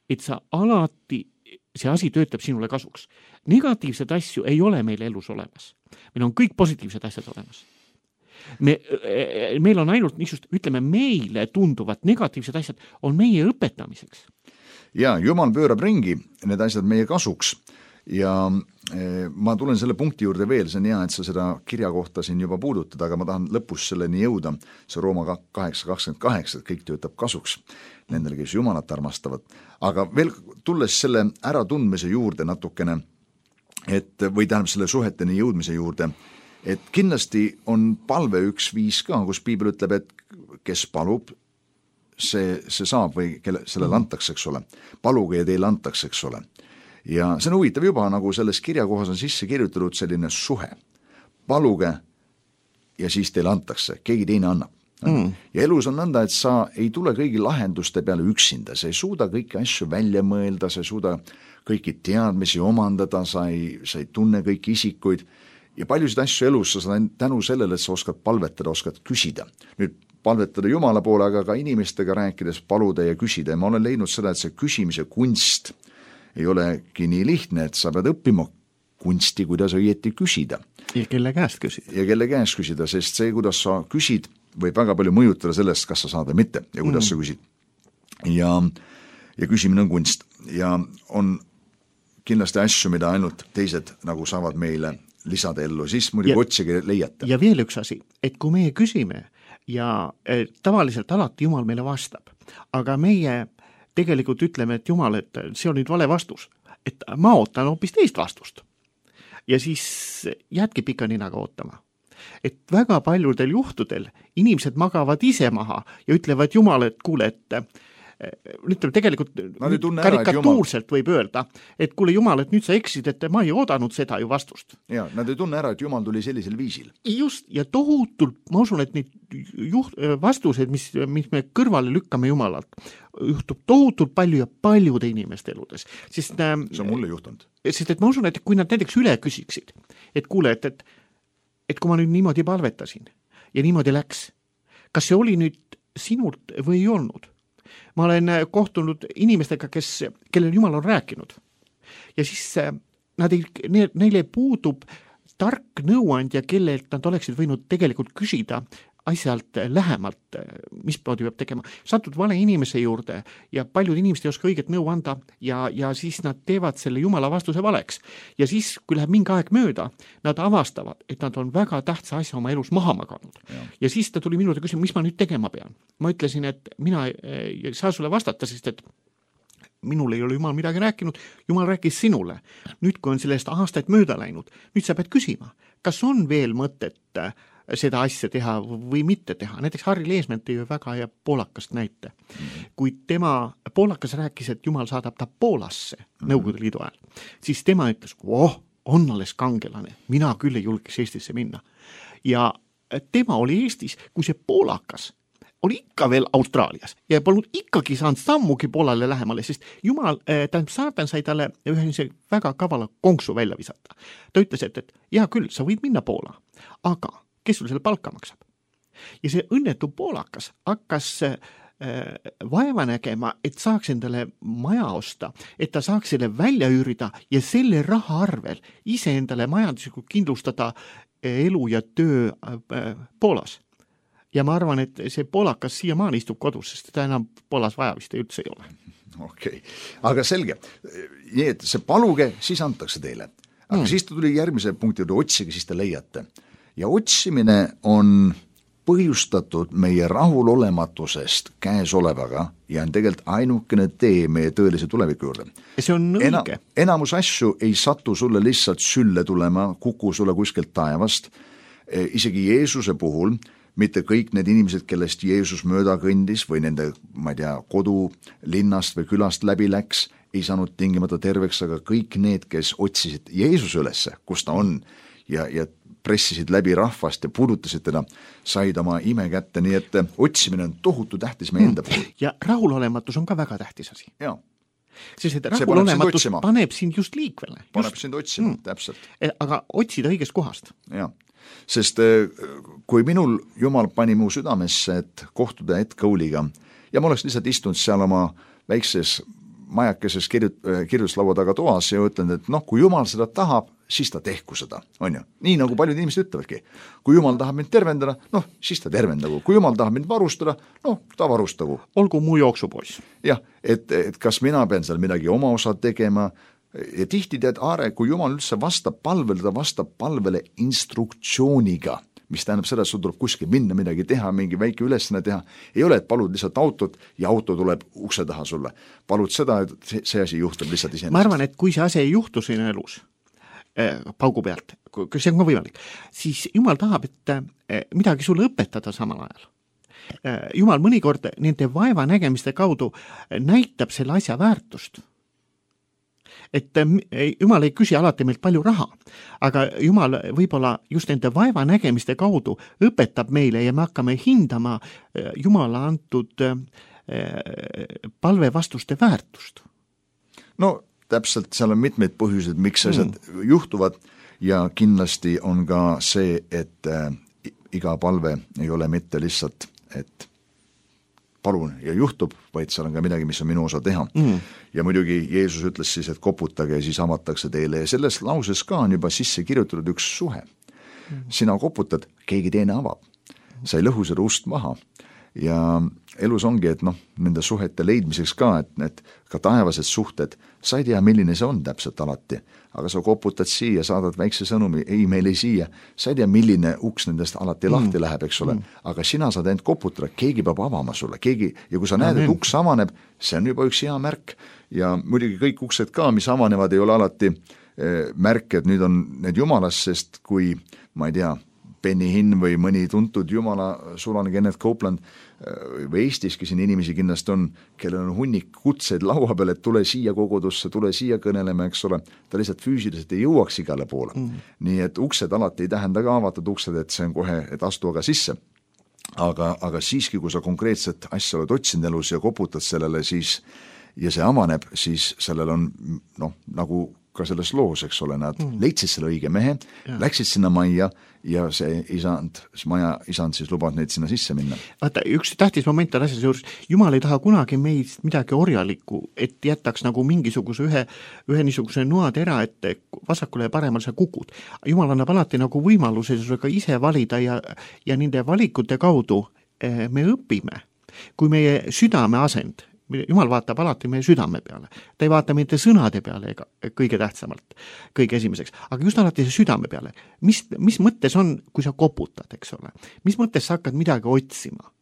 et sa alati, see asi töötab sinule kasuks. Negatiivsed asju ei ole meil elus olemas. Meil on kõik positiivsed asjad olemas. Meil on ainult niisugust, ütleme, meile tunduvad negatiivsed asjad on meie õpetamiseks. Ja, Jumal pöörab ringi need asjad meie kasuks ja ma tulen selle punkti juurde veel, see on hea, et sa seda kirja kohta siin juba puudutad, aga ma tahan lõpus selleni jõuda, see Rooma 8:28, et kõik töötab kasuks nendele, kes Jumalat armastavad. Aga veel tulles selle äratundmise juurde natukene, või tähendab selle suheteni jõudmise juurde, et kindlasti on palve üks viis ka, kus Piibel ütleb, et kes palub, see saab või sellele antakse, eks ole. Paluge ja teile antakse, eks ole. Ja see on huvitav juba, nagu selles kirjakohas on sisse kirjutatud selline suhe. Paluge ja siis teile antakse, keegi teine annab. Ja elus on nõnda, et sa ei tule kõigi lahenduste peale üksinda, sa ei suuda kõiki asju välja mõelda, sa ei suuda kõiki teadmisi omandada, sa ei tunne kõiki isikuid ja paljusid asju elus sa saad tänu sellele, et sa oskad palvetada, oskad küsida. Nüüd palvetada Jumala poole, aga ka inimestega rääkides paluda ja küsida ja ma olen leidnud seda, et see küsimise kunst ei olegi nii lihtne, et sa pead õppima kunsti, kuidas õieti küsida. Ja kelle käest küsida. Ja kelle käest küsida, sest see, kuidas sa küsid, võib väga palju mõjutada sellest, kas sa saad või mitte ja kuidas sa küsid. Ja küsimine on kunst ja on kindlasti asju, mida ainult teised nagu saavad meile lisada ellu, siis muidugi otsige leiata. Ja veel üks asi, et kui meie küsime ja tavaliselt alati Jumal meile vastab, aga meie tegelikult ütleme, et Jumal, et see on nüüd vale vastus, et ma ootan hoopis teist vastust. Ja siis jäädki pika ninaga ootama. Et väga paljudel juhtudel inimesed magavad ise maha ja ütlevad Jumal, et kuule, et ütleme tegelikult karikatuurselt võib öelda, et kuule Jumal, et nüüd sa eksid, et ma ei oodanud seda ju vastust. Ja, nad ei tunne ära, et Jumal tuli sellisel viisil. Just, ja tohutult, ma usun, et neid vastused, mis me kõrvale lükkame Jumalalt, juhtub tohutult palju ja paljude inimeste eludes. Sest, see on mulle juhtunud. Sest et ma usun, et kui nad näiteks üle küsiksid, et kuule, et kui ma nüüd niimoodi palvetasin ja niimoodi läks, kas see oli nüüd sinult või ei olnud? Ma olen kohtunud inimestega, kellel Jumal on rääkinud. Ja siis neile puudub tark nõuandja, kellelt nad oleksid võinud tegelikult küsida asjalt lähemalt, mismoodi peab tegema. Satud vale inimese juurde ja paljud inimesed ei oska õiget nõu anda ja siis nad teevad selle Jumala vastuse valeks. Ja siis, kui läheb mingi aeg mööda, nad avastavad, et nad on väga tähtsa asja oma elus maha maganud. Ja siis ta tuli minuga küsima, mis ma nüüd tegema pean. Ma ütlesin, et mina ei saa sulle vastata, sest et minul ei ole Jumal midagi rääkinud, Jumal rääkis sinule. Nüüd, kui on sellest aastaid mööda läinud, nüüd sa pead küsima, kas on veel mõtet seda asja teha või mitte teha. Näiteks Harri Leesment tõi väga hea poolakast näite. Kui tema poolakas rääkis, et Jumal saadab ta Poolasse Nõukogude Liidu ajal, siis tema ütles, on alles kangelane, mina küll ei julgeks Eestisse minna. Ja tema oli Eestis, kui see poolakas oli ikka veel Austraalias ja polnud ikkagi saanud sammugi Poolale lähemale, sest Jumal, saatan sai talle ühe väga kavala konksu välja visata. Ta ütles, et hea küll, sa võid minna Poola, aga kes sul selle palka maksab? Ja see õnnetu poolakas hakkas vaeva nägema, et saaks endale maja osta, et ta saaks selle välja üürida ja selle raha arvel ise endale majanduslikult kindlustada elu ja töö Poolas. Ja ma arvan, et see poolakas siiamaani istub kodus, sest ta enam Poolas vaja vist üldse ei ole. Okei. Aga selge. Nii, et see paluge, siis antakse teile. Aga siis ta tuli järgmise punkti, otsige, siis te leiate. Ja otsimine on põhjustatud meie rahulolematusest käesolevaga ja on tegelikult ainukene tee meie tõelise tuleviku juurde. Ja see on õige. Enamus asju ei satu sulle lihtsalt sülle tulema, kuku sulle kuskilt taevast. Isegi Jeesuse puhul mitte kõik need inimesed, kellest Jeesus mööda kõndis või nende, ma ei tea, kodulinnast või külast läbi läks, ei saanud tingimata terveks, aga kõik need, kes otsisid Jeesuse ülesse, kus ta on, ja pressisid läbi rahvast ja puudutasid teda, said oma ime kätte, nii et otsimine on tohutu tähtis meie enda puhul. Ja rahulolematus on ka väga tähtis asi. Jaa. Sest et rahulolematus paneb sind just liikvele. Paneb sind otsima, täpselt. Aga otsida õigest kohast. Jaa. Sest kui minul Jumal pani mu südamesse, et kohtuda Ed Cole'iga ja ma oleks lihtsalt istunud seal oma väikses majakeses kirjutuslaua taga toas ja ütlen, et kui Jumal seda tahab, siis ta tehku seda, on ju. Nii nagu paljud inimesed ütlevadki. Kui Jumal tahab mind tervendada, siis ta tervendagu. Kui Jumal tahab mind varustada, ta varustagu. Olgu mu jooksupoiss. Jah, et kas mina pean seal midagi oma osa tegema. Ja tihti tead, Aare, kui Jumal üldse vastab palvele, ta vastab palvele instruktsiooniga, mis tähendab seda, et sul tuleb kuskil minna midagi teha, mingi väike ülesanne teha. Ei ole, et palud lihtsalt autot ja auto tuleb ukse taha sulle. Palud seda, et see asi juhtub lihtsalt iseenesest. Ma arvan, et kui see asi ei juhtu sinu elus paugu pealt, kui see on ka võimalik, siis Jumal tahab, et midagi sulle õpetada samal ajal. Jumal mõnikord nende vaeva nägemiste kaudu näitab selle asja väärtust. Et Jumal ei küsi alati meilt palju raha, aga Jumal võib-olla just nende vaeva nägemiste kaudu õpetab meile ja me hakkame hindama Jumala antud palvevastuste väärtust. No täpselt, seal on mitmeid põhjuseid, miks asjad juhtuvad ja kindlasti on ka see, et iga palve ei ole mitte lihtsalt, et palun ja juhtub, vaid seal on ka midagi, mis on minu osa teha. Ja muidugi Jeesus ütles siis, et koputage ja siis avatakse teile ja selles lauses ka on juba sisse kirjutatud üks suhe. Sina koputad, keegi teine avab. Sa ei lõhu seda ust maha. Ja elus ongi, et nende suhete leidmiseks ka, et ka taevased suhted, sa ei tea, milline see on täpselt alati, aga sa koputad siia, saadad väikse sõnumi, ei, meil ei siia, sa ei tea, milline uks nendest alati lahti läheb, eks ole, aga sina saad end koputada, keegi peab avama sulle, ja kui sa näed, et uks avaneb, see on juba üks hea märk ja muidugi kõik uksed ka, mis avanevad, ei ole alati märk, et nüüd on need jumalas, sest kui, ma ei tea, Benny Hinn või mõni tuntud jumala sulane Kenneth Copeland või Eestiski siin inimesi kindlasti on, kellel on hunnik kutseid laua peal, et tule siia kogudusse, tule siia kõnelema, eks ole, ta lihtsalt füüsiliselt ei jõuaks igale poole. Nii et uksed alati ei tähenda ka avatud uksed, et see on kohe, et astu aga sisse. Aga siiski, kui sa konkreetset asja oled otsinud elus ja koputad sellele, siis, ja see avaneb, siis sellel on nagu ka selles loos, eks ole, nad leidsid selle õige mehe, läksid sinna majja ja see maja isand siis lubas neid sinna sisse minna. Vaata, üks tähtis moment on asjas juures, Jumal ei taha kunagi meist midagi orjalikku, et jätaks nagu mingisuguse ühe niisuguse noatera, et vasakule ja paremale sa kukud. Jumal annab alati nagu võimaluse ka ise valida ja nende valikute kaudu me õpime. Kui meie südame asend, Jumal vaatab alati meie südame peale, ta ei vaata mitte sõnade peale ega kõige tähtsamalt, kõige esimeseks, aga just alati see südame peale. Mis mõttes on, kui sa koputad, eks ole? Mis mõttes sa hakkad midagi otsima?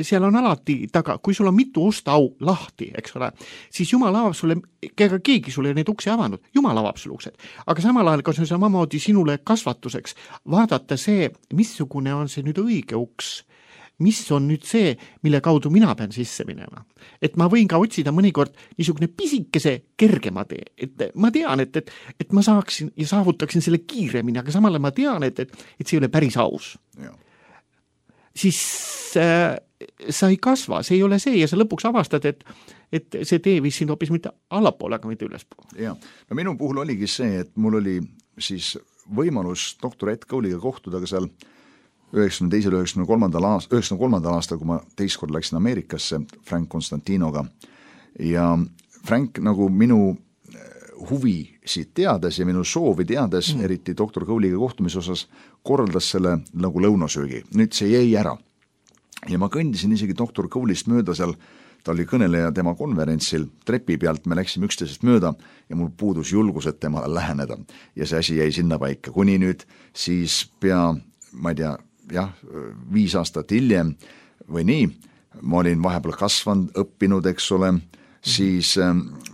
Seal on alati taga, kui sul on mitu ustau lahti, eks ole, siis Jumal avab sulle, ega keegi sulle neid uksi avanud, Jumal avab sulle uksed. Aga samal ajal, kui see samamoodi sinule kasvatuseks, vaadata see, missugune on see nüüd õige uks, mis on nüüd see, mille kaudu mina pean sisse minema. Et ma võin ka otsida mõnikord niisugune pisikese kergema tee, et ma tean, et ma saaksin ja saavutaksin selle kiiremini, aga samal ma tean, et see ei ole päris aus. Ja. Siis sa ei kasva, see ei ole see ja sa lõpuks avastad, et see tee viis sind hoopis mitte allapoole, aga mitte ülespoole. Ja, no minu puhul oligi see, et mul oli siis võimalus doktor Ed Cowley'ga kohtuda ka seal 92-93. aastal, kui ma teist kord läksin Ameerikasse Frank Konstantinoga ja Frank nagu minu huvi siit teades ja minu soovi teades, eriti doktor Cowley'ga kohtumise osas, korraldas selle nagu lõunasöögi. Nüüd see jäi ära. Ja ma kõndisin isegi doktor Cowley'st mööda seal, ta oli kõneleja tema konverentsil, trepi pealt me läksime üksteisest mööda ja mul puudus julgus, et temale läheneda. Ja see asi jäi sinna paika. Kuni nüüd siis ma ei tea, 5 aastat hiljem või nii, ma olin vahepeal kasvanud, õppinud, eks ole, siis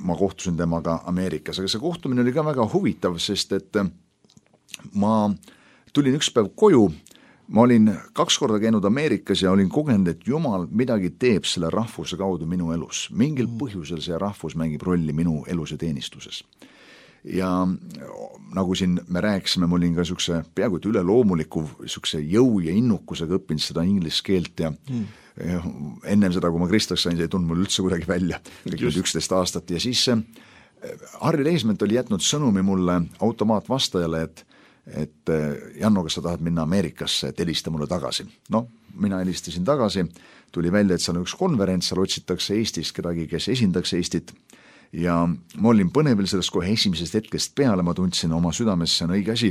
ma kohtusin temaga Ameerikas, aga see kohtumine oli ka väga huvitav, sest et ma tulin üks päev koju, ma olin 2 korda käinud Ameerikas ja olin kogenud, et Jumal midagi teeb selle rahvuse kaudu minu elus. Mingil põhjusel see rahvus mängib rolli minu elus ja teenistuses. Ja nagu siin me rääkisime, ma olin ka peaaegu üleloomuliku jõu ja innukusega õppinud seda inglise keelt ja ennem seda, kui ma kristaks sain, see ei tundnud mul üldse kuidagi välja, kõik 11 aastat ja siis Harri Leisment oli jätnud sõnumi mulle automaatvastajale, et Janno, kas sa tahad minna Ameerikasse, et helista mulle tagasi. No, mina helistasin tagasi, tuli välja, et seal on üks konverents, seal otsitakse Eestis kedagi, kes esindaks Eestit ja ma olin põnevil sellest kohe esimesest hetkest peale, ma tundsin oma südames, see on õige asi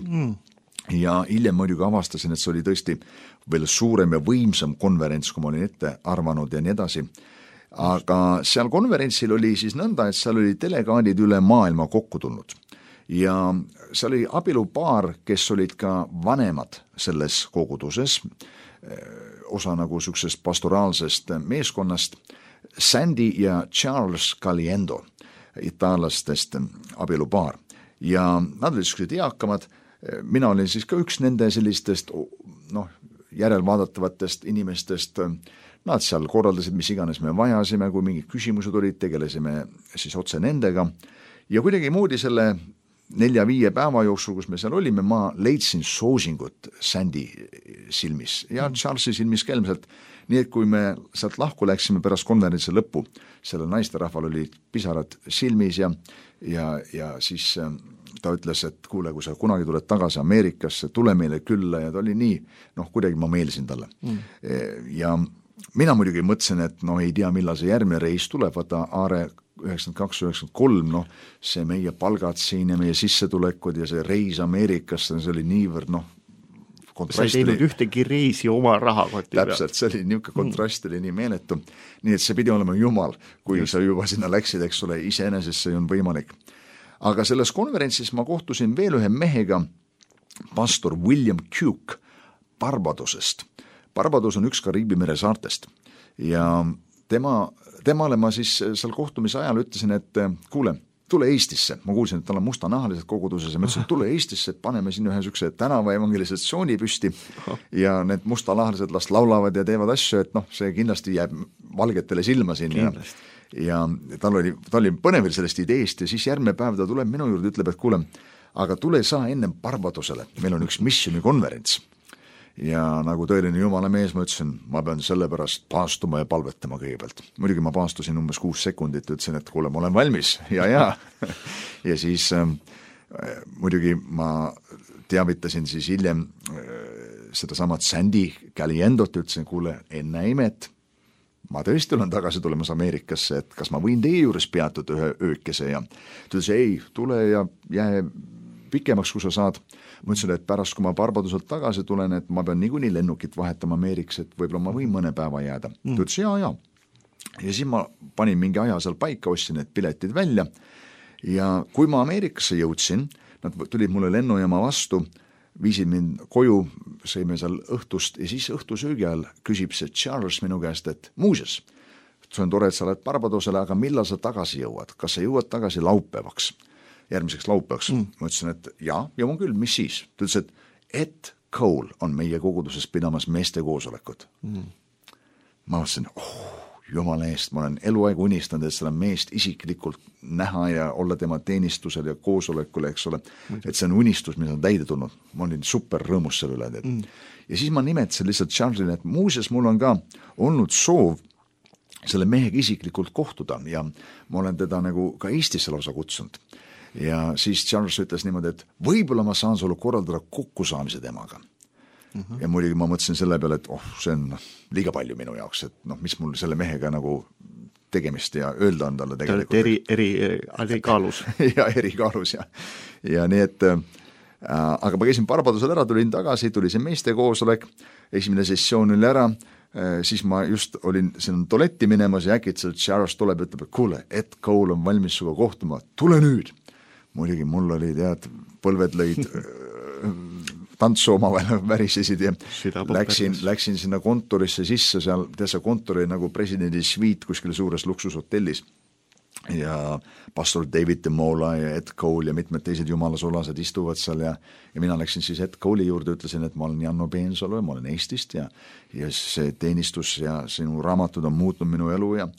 ja hiljem muidugi avastasin, et see oli tõesti veel suurem ja võimsam konverents, kui ma olin ette arvanud ja nii edasi. Aga seal konverentsil oli siis nõnda, et seal oli delegaadid üle maailma kokku tulnud ja seal oli abielupaar, kes olid ka vanemad selles koguduses, osa nagu sellisest pastoraalsest meeskonnast, Sandy ja Charles Caliendo, itaallastest abielupaar ja nad olid sellised eakamad, mina olin siis ka üks nende sellistest järelvaadatavatest inimestest, nad seal korraldasid, mis iganes me vajasime, kui mingid küsimused olid, tegelesime siis otse nendega ja kuidagi moodi selle 4-5 päeva jooksul, kus me seal olime, ma leidsin soosingut Sandy silmis ja Charlesi silmis ka ilmselt. Nii et kui me sealt lahku läksime pärast konverentsi lõppu, selle naisterahval oli pisarad silmis ja siis ta ütles, et kuule, kui sa kunagi tuled tagasi Ameerikasse, tule meile külla ja ta oli nii, kuidagi ma meelsin talle. Ja mina muidugi mõtlesin, et ei tea, millal see järgmine reis tuleb, vaata Aare 92-93, see meie palgad siin ja meie sissetulekud ja see reis Ameerikasse, see oli niivõrd, sa ei teinud ühtegi reisi oma rahakoti peal. Täpselt, see oli niisugune kontrast oli nii meeletu. Nii et see pidi olema Jumal, kui sa juba sinna läksid, eks ole, iseenesest see on võimalik. Aga selles konverentsis ma kohtusin veel ühe mehega, pastor William Cooke Barbadosest. Barbados on üks Kariibi mere saartest ja temale ma siis seal kohtumise ajal ütlesin, et kuule, tule Eestisse. Ma kuulsin, et tal on mustanahalised koguduses ja ma ütlesin, et tule Eestisse, et paneme siin ühe sükse tänava evangelisatsiooni püsti ja need mustanahalised las laulavad ja teevad asju, et see kindlasti jääb valgetele silma siin ja tal oli põnevil sellest ideest ja siis järgmine päev ta tuleb minu juurde, ütleb, et kuule, aga tule sa ennem Barbadosele, meil on üks missionikonverents. ja nagu tõeline jumala mees, ma ütlesin, ma pean selle pärast paastuma ja palvetama kõigepealt. Muidugi ma paastusin umbes 6 sekundit, ütlesin, et kuule, ma olen valmis, ja ja siis muidugi ma teavitasin siis hiljem seda samat Sandy Caliendot, ütlesin, kuule, enne imet, ma tõesti olen tagasi tulemas Ameerikasse, et kas ma võin teie juures peatuda ühe öökese ja ta ütles, ei, tule ja jää pikemaks, kui sa saad. Ma ütlesin, et pärast, kui ma Barbadoselt tagasi tulen, et ma pean niikuinii lennukit vahetama Ameerikas, et võib-olla ma võin mõne päeva jääda. Ta ütles, jaa. Ja siis ma panin mingi aja seal paika, ostsin need piletid välja ja kui ma Ameerikasse jõudsin, nad tulid mulle lennujaama vastu, viisid mind koju, sõime seal õhtust ja siis õhtusöögi ajal küsib see Charles minu käest, et muuseas, see on tore, et sa oled Barbadosele, aga millal sa tagasi jõuad? Kas sa jõuad tagasi laupäevaks? Järgmiseks laupäevaks. Ma ütlesin, et jõuan küll, mis siis? Ta ütles, et Ed Cole on meie koguduses pidamas meeste koosolekut. Ma mõtlesin, jumala eest, ma olen eluaeg unistanud, et seda meest isiklikult näha ja olla tema teenistusel ja koosolekul, eks ole, et see on unistus, mis on täide tulnud. Ma olin super rõõmus selle üle. Ja siis ma nimetasin lihtsalt Charlesile, et muuseas mul on ka olnud soov selle mehega isiklikult kohtuda ja ma olen teda nagu ka Eestisse lausa kutsunud. Ja siis Charles ütles niimoodi, et võib-olla ma saan sulle korraldada kokkusaamise temaga. Ja muidugi ma mõtlesin selle peale, et see on liiga palju minu jaoks, et mis mul selle mehega nagu tegemist ja öelda on talle tegelikult. Te olete eri kaalus. ja eri kaalus, ja nii et aga ma käisin Barbadosel ära, tulin tagasi, tuli see meeste koosolek, esimene sessioon oli ära, siis ma just olin siin tualetti minemas ja äkitselt Charles tuleb ja ütleb, et kuule, Ed Cole on valmis suga kohtuma, tule nüüd. Muidugi mul oli, põlved lõid tantsu omavahel värisesid ja läksin sinna kontorisse sisse, seal see kontori nagu presidendi sviit kuskil suures luksushotellis ja pastor David DeMola ja Ed Cole ja mitmed teised jumalasulased istuvad seal ja mina läksin siis Ed Cole'i juurde, ütlesin, et ma olen Janno Peensalu ja ma olen Eestist ja see teenistus ja sinu raamatud on muutnud minu elu ja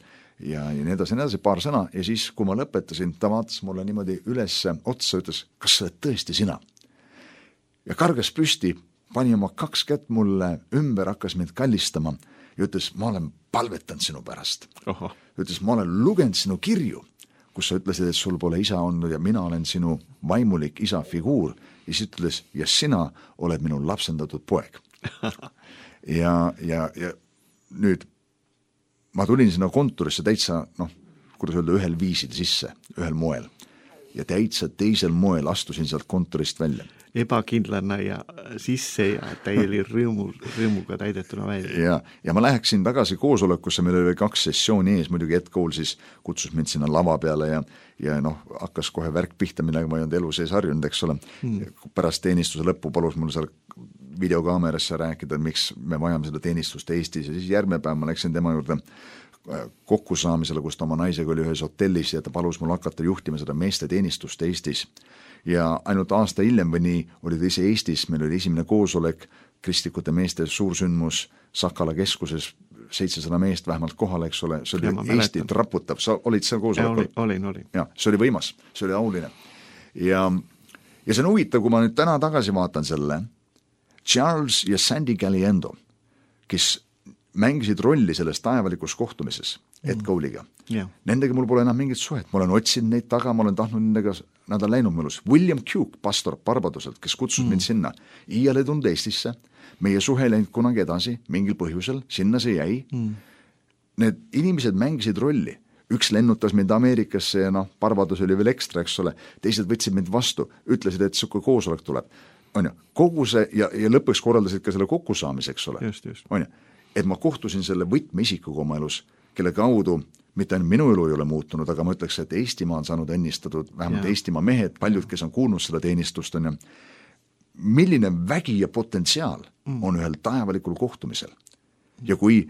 nii edasi, paar sõna ja siis, kui ma lõpetasin, ta vaatas mulle niimoodi üles otsa, ütles, kas sa oled tõesti sina? Ja kargas püsti, pani oma 2 kätt mulle ümber, hakkas mind kallistama ja ütles, ma olen palvetanud sinu pärast. Ütles, ma olen lugenud sinu kirju, kus sa ütlesid, et sul pole isa olnud ja mina olen sinu vaimulik isa figuur ja siis ütles, ja sina oled minu lapsendatud poeg. ja nüüd ma tulin sinna kontorisse täitsa, kuidas öelda, ühel viisil sisse, ühel moel. Ja täitsa teisel moel astusin sealt kontorist välja. Ebakindlana ja sisse ja täieli rõõmuga täidetuna välja. Ja ma läheksin tagasi koosolekusse, meil oli 2 sessiooni ees, muidugi Ed Cole siis kutsus mind sinna lava peale ja hakkas kohe värk pihta, millega ma ei olnud elu sees harjunud, eks ole. Pärast teenistuse lõppu palus mul seal videokaamerasse rääkida, miks me vajame seda teenistust Eestis ja siis järgmine päev ma läksin tema juurde kokkusaamisele, kus ta oma naisega oli ühes hotellis ja ta palus mul hakata juhtima seda meeste teenistust Eestis. Ja ainult aasta hiljem või nii oli ta ise Eestis, meil oli esimene koosolek, kristlikute meeste suursündmus Sakala keskuses, 700 meest vähemalt kohal, eks ole, see oli Eesti raputav, sa olid seal koosolekul? Olin. Ja, see oli võimas, see oli auline. Ja see on huvitav, kui ma nüüd täna tagasi vaatan selle, Charles ja Sandy Caliendo, kes mängisid rolli selles taevalikus kohtumises Ed Cole'iga. Nendega mul pole enam mingit suhet, ma olen otsinud neid taga, ma olen tahtnud nendega, nad on läinud mõlus. William Cooke, pastor Barbadoselt, kes kutsus mind sinna, iiale tulnud Eestisse, meie suhe läinud kunagi edasi, mingil põhjusel, sinna see jäi. Need inimesed mängisid rolli. Üks lennutas mind Ameerikasse ja Barbados oli veel ekstra, eks ole, teised võtsid mind vastu, ütlesid, et siuke koosolek tuleb. Kogu see ja lõpuks korraldasid ka selle kokkusaamise, eks ole. Just. Et ma kohtusin selle võtmeisikuga oma elus, kelle kaudu mitte ainult minu elu ei ole muutunud, aga ma ütleks, et Eestimaa on saanud õnnistatud, vähemalt Eestimaa mehed, paljud, kes on kuulnud seda teenistust, on milline vägi ja potentsiaal on ühel taevalikul kohtumisel. Ja kui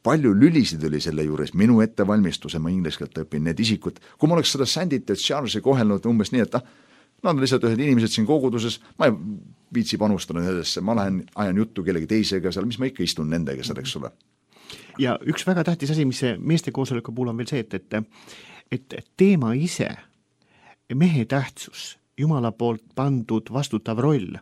palju lülisid oli selle juures, minu ettevalmistuse, ma inglise keelt õpin, need isikud, kui ma oleks seda Sandit ja Charlesi kohelnud umbes nii, et nad on lihtsalt ühed inimesed siin koguduses, ma ei viitsi panustada nendesse, ma ajan juttu kellegi teisega seal, mis ma ikka istun nendega seal, eks ole. Ja üks väga tähtis asi, mis meeste koosoleku puhul on veel see, et teema ise, mehe tähtsus, Jumala poolt pandud vastutav roll,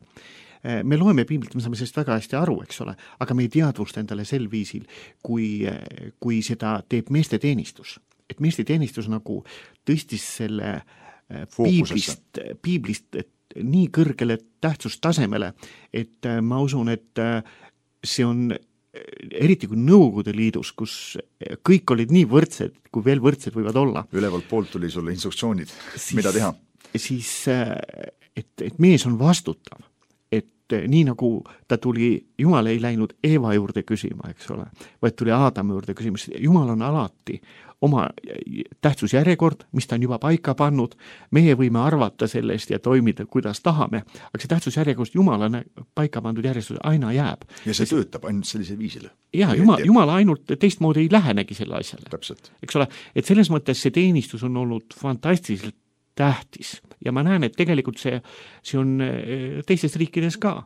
me loeme piiblit, me saame sellest väga hästi aru, eks ole, aga me ei teadvusta endale sel viisil, kui seda teeb meesteteenistus. Et meesteteenistus nagu tõstis selle piiblist nii kõrgele tähtsustasemele, et ma usun, et see on eriti kui Nõukogude Liidus, kus kõik olid nii võrdsed, kui veel võrdsed võivad olla. Ülevalt poolt tuli sulle instruktsioonid, mida teha. Siis, et mees on vastutav, et nii nagu ta tuli, Jumal ei läinud Eeva juurde küsima, eks ole, vaid tuli Aadami juurde küsima, Jumal on alati oma tähtsusjärjekord, mis ta on juba paika pannud, meie võime arvata sellest ja toimida, kuidas tahame, aga see tähtsusjärjekord Jumala paika pandud järjestus aina jääb. Ja see töötab ainult sellise viisile. Jaa, Jumal ainult teistmoodi ei lähenegi selle asjale. Täpselt. Eks ole, et selles mõttes see teenistus on olnud fantastiliselt tähtis ja ma näen, et tegelikult see on teistes riikides ka.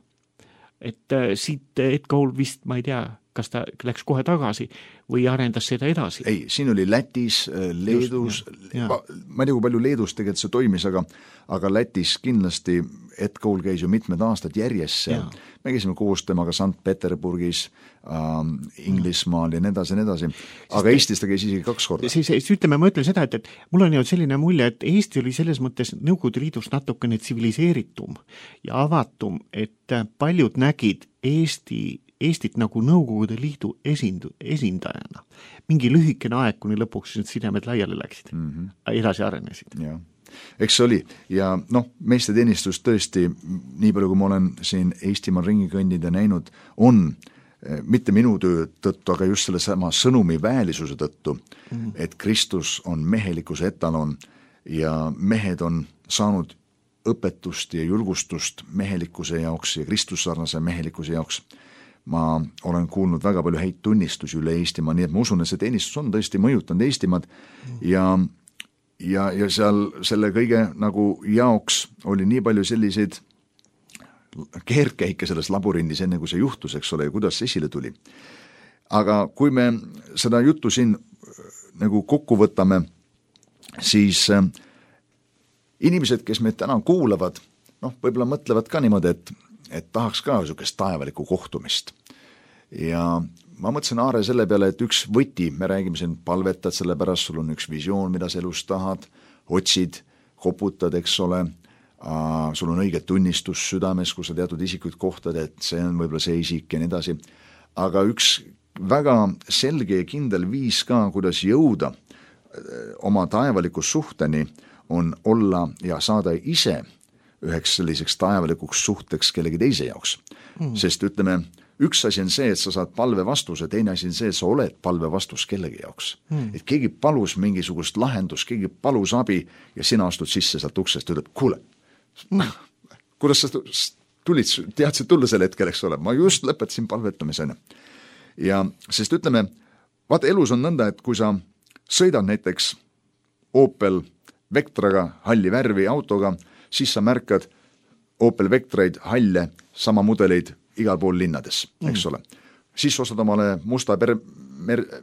Et siit Edgold vist, ma ei tea, kas ta läks kohe tagasi või arendas seda edasi? Ei, siin oli Lätis, Leedus, ma ei tea, kui palju Leedus tegelikult see toimis, aga Lätis kindlasti Edgold käis ju mitmed aastad järjest seal. Me käisime koos temaga Sankt-Peterburgis, Inglismaal ja nii edasi. Aga Eestis ta käis isegi 2 korda. Ütleme, ma ütlen seda, et mul on ju selline mulje, et Eesti oli selles mõttes Nõukogude Liidus natukene tsiviliseeritum ja avatum, et paljud nägid Eestit nagu Nõukogude Liidu esindajana. Mingi lühikene aeg, kuni lõpuks need sidemed laiali läksid, edasi arenesid. Jah. Eks see oli ja meesteteenistus tõesti, nii palju kui ma olen siin Eestimaal ringi kõndida näinud, on mitte minu töö tõttu, aga just selle sama sõnumi väelisuse tõttu, et Kristus on mehelikkuse etalon ja mehed on saanud õpetust ja julgustust mehelikkuse jaoks ja Kristussarnase mehelikkuse jaoks. Ma olen kuulnud väga palju häid tunnistusi üle Eestimaa, nii et ma usun, et see teenistus on tõesti mõjutanud Eestimaad ja seal selle kõige nagu jaoks oli nii palju selliseid keerdkäike selles labürindis enne kui see juhtus, eks ole, ja kuidas see esile tuli. Aga kui me seda juttu siin nagu kokku võtame, siis inimesed, kes meid täna kuulavad, võib-olla mõtlevad ka niimoodi, et tahaks ka niisugust taevalikku kohtumist. Ja ma mõtlesin, Aare, selle peale, et üks võti, me räägime siin palvetad, selle pärast sul on üks visioon, mida sa elus tahad, otsid, koputad, eks ole, sul on õige tunnistus südames, kus sa teatud isikuid kohtad, et see on võib-olla see isik ja nii edasi. Aga üks väga selge ja kindel viis ka, kuidas jõuda oma taevalikus suhteni, on olla ja saada ise üheks selliseks taevalikuks suhteks kellegi teise jaoks. Sest ütleme, üks asi on see, et sa saad palve vastuse, teine asi on see, et sa oled palve vastus kellegi jaoks. Et keegi palus mingisugust lahendust, keegi palus abi ja sina astud sisse sealt uksest ja ütled, kuule, kuidas sa tulid, teadsid tulla selle hetkel, eks ole, ma just lõpetasin palvetamisena. Ja sest ütleme, vaata elus on nõnda, et kui sa sõidad näiteks Opel Vectraga, halli värvi autoga, siis sa märkad Opel Vectraid, halle, sama mudeleid igal pool linnades, eks ole. Siis ostad omale musta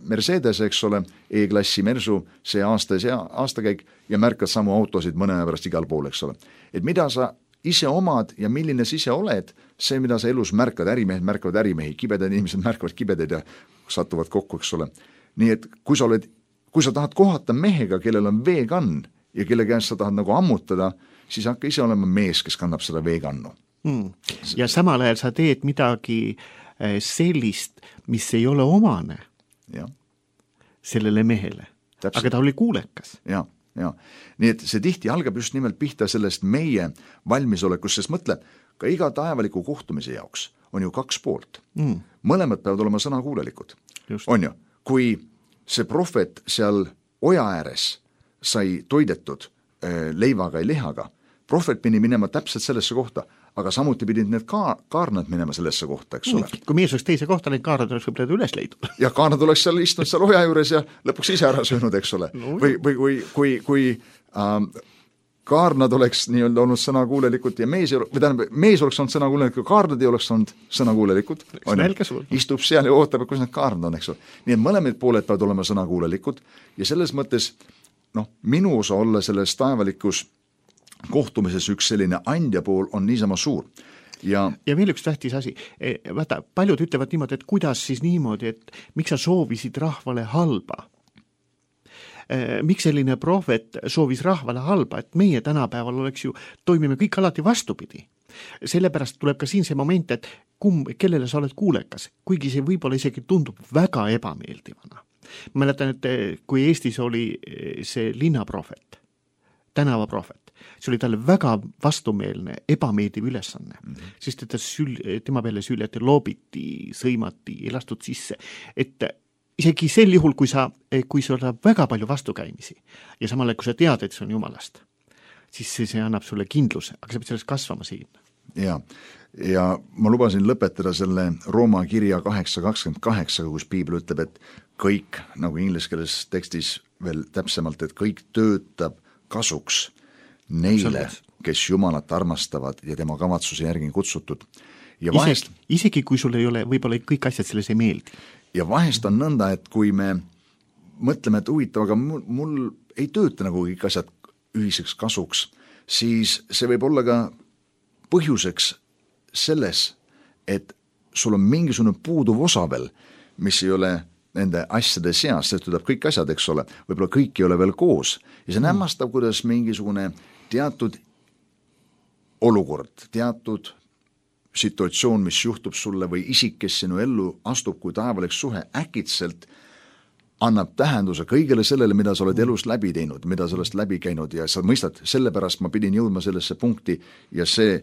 Mercedes, eks ole, E-klassi Mersu, see aastakäik ja märkad samu autosid mõne pärast igal pool, eks ole. Et mida sa ise omad ja milline sa ise oled, see, mida sa elus märkad, ärimehed märkavad ärimehi, kibedad inimesed märkavad kibedaid ja satuvad kokku, eks ole. Nii et kui sa tahad kohata mehega, kellel on veekann ja kelle käest sa tahad nagu ammutada, siis hakka ise olema mees, kes kannab seda veekannu. Ja samal ajal sa teed midagi sellist, mis ei ole omane sellele mehele. Täpselt. Aga ta oli kuulekas. Ja. Nii et see tihti algab just nimelt pihta sellest meie valmisolekust, sest mõtle, ka iga taevaliku kohtumise jaoks on ju 2 poolt. Mõlemad peavad olema sõnakuulelikud. On ju, kui see prohvet seal oja ääres sai toidetud leivaga ja lihaga, prohvet pidi minema täpselt sellesse kohta, aga samuti pidid need kaarnad minema sellesse kohta, eks ole. Kui mees oleks teise kohta, need kaarnad oleks võib-olla üles leidnud. Ja kaarnad oleks seal istunud seal oja juures ja lõpuks ise ära söönud, eks ole. Või kui kaarnad oleks nii-öelda olnud sõnakuulelikud ja mees oleks olnud sõnakuulelikud, kaarnad ei oleks olnud sõnakuulelikud, istub seal ja ootab, kus need kaarnad on, eks ole. Nii et mõlemad pooled peavad olema sõnakuulelikud ja selles mõttes minu osa olla selles taevalikus kohtumises üks selline andja pool on niisama suur. Ja veel üks tähtis asi, vaata, paljud ütlevad niimoodi, et kuidas siis niimoodi, et miks sa soovisid rahvale halba? Miks selline prohvet soovis rahvale halba, et meie tänapäeval oleks ju, toimime kõik alati vastupidi. Sellepärast tuleb ka siin see moment, et kellele sa oled kuulekas, kuigi see võib-olla isegi tundub väga ebameeldivana. Ma mäletan, et kui Eestis oli see linnaprohvet, tänavaprohvet, see oli talle väga vastumeelne, ebameeldiv ülesanne, sest et tema peale süljati, loobiti, sõimati, ei lastud sisse, et isegi sel juhul, kui sa väga palju vastukäimisi ja samal ajal, kui sa tead, et see on Jumalast, siis see annab sulle kindluse, aga sa pead sellest kasvama siin. Ja ma lubasin lõpetada selle Rooma kirja 8:28, kus Piibel ütleb, et kõik, nagu ingliskeeles tekstis veel täpsemalt, et kõik töötab kasuks neile, kes Jumalat armastavad ja tema kavatsuse järgi kutsutud. Ja vahest, isegi kui sul ei ole, võib-olla kõik asjad selles ei meeldi. Ja vahest on nõnda, et kui me mõtleme, et huvitav, aga mul ei tööta nagu kõik asjad ühiseks kasuks, siis see võib olla ka põhjuseks selles, et sul on mingisugune puuduv osa veel, mis ei ole nende asjade seas, sest tuleb kõik asjad, eks ole, võib-olla kõik ei ole veel koos. Ja see on hämmastav, kuidas mingisugune teatud olukord, teatud situatsioon, mis juhtub sulle või isik, kes sinu ellu astub kui taevalik suhe, äkitselt annab tähenduse kõigele sellele, mida sa oled elus läbi teinud, mida sa oled läbi käinud ja sa mõistad, sellepärast ma pidin jõudma sellesse punkti ja see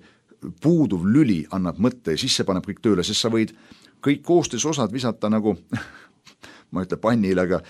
puuduv lüli annab mõtte ja siis see paneb kõik tööle, sest sa võid kõik koostisosad visata nagu ma ütlen pannile, aga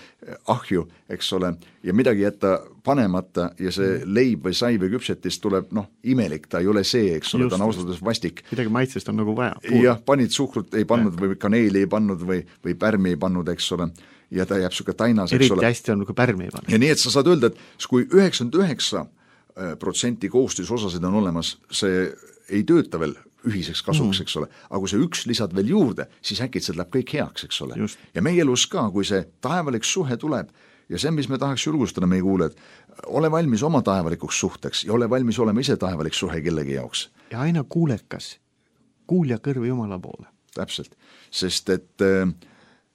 ahju, eks ole, ja midagi jätta panemata ja see leib või sai või küpsetis tuleb, imelik, ta ei ole see, eks ole, ta on ausalt vastik. Midagi maitsest on nagu vaja. Jah, panid suhkrut ei pannud või kaneeli ei pannud või pärmi ei pannud, eks ole, ja ta jääb suke tainas, eks ole. Eriti hästi on nagu pärmi ei pannud. Ja nii, et sa saad öelda, et kui 99% koostisosasid on olemas, see ei tööta veel ühiseks kasuks, eks ole, aga kui see üks lisad veel juurde, siis äkitselt läheb kõik heaks, eks ole. Just. Ja meie elus ka, kui see taevalik suhe tuleb ja see, mis me tahaks julgustada meie kuuled, ole valmis oma taevalikuks suhteks ja ole valmis olema ise taevalik suhe kellegi jaoks. Ja aina kuulekas, kuulja kõrvi Jumala poole. Täpselt, sest et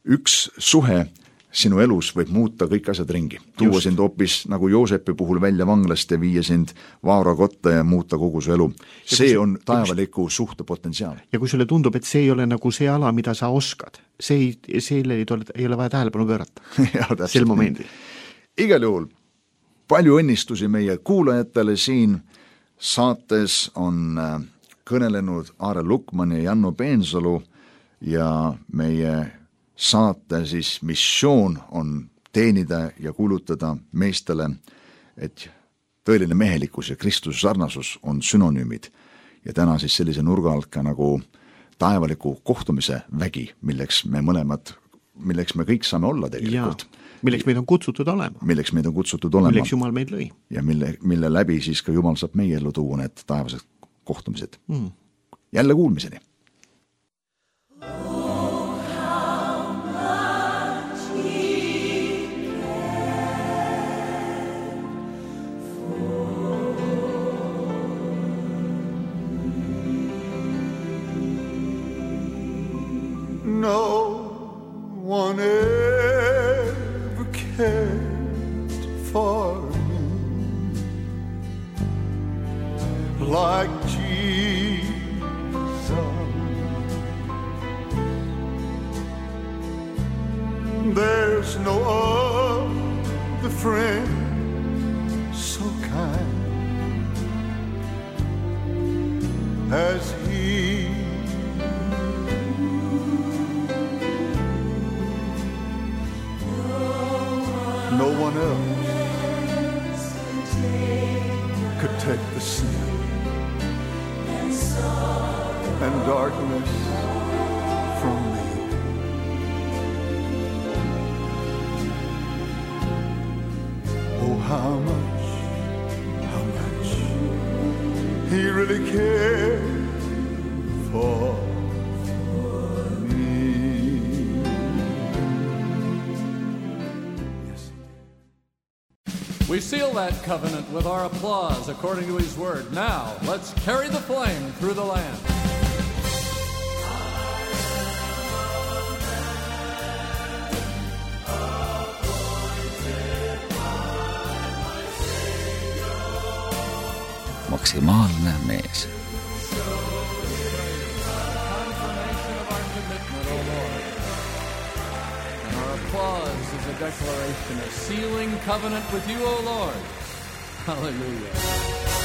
üks suhe sinu elus võib muuta kõik asjad ringi. Tuua sind hoopis nagu Joosepi puhul välja vanglast ja viia sind vaarakotta ja muuta kogu su elu. See on taevaliku suhte potentsiaal. Ja kui sulle tundub, et see ei ole nagu see ala, mida sa oskad, see ei ole vaja tähelepanu pöörata sel momendil. Igal juhul palju õnnistusi meie kuulajatele siin saates on kõnelenud Aare Lukman ja Janno Peensalu ja meie saate siis missioon on teenida ja kuulutada meestele, et tõeline mehelikkus ja Kristuse sarnasus on synonüümid ja täna siis sellise nurga alt ka nagu taevaliku kohtumise vägi, milleks me kõik saame olla tegelikult. Ja, milleks meid on kutsutud olema. Milleks Jumal meid lõi. Ja mille läbi siis ka Jumal saab meie ellu tuua need taevased kohtumised. Jälle kuulmiseni. No one ever cared for me like Jesus. There's no other friend so kind as He. No one else could take the sin and darkness from me. Oh, how much He really cared for me. We seal that covenant with our applause according to His word. Now, let's carry the flame through the land. maksimaalne mees. Applause is a declaration of sealing covenant with you, O Lord. Hallelujah.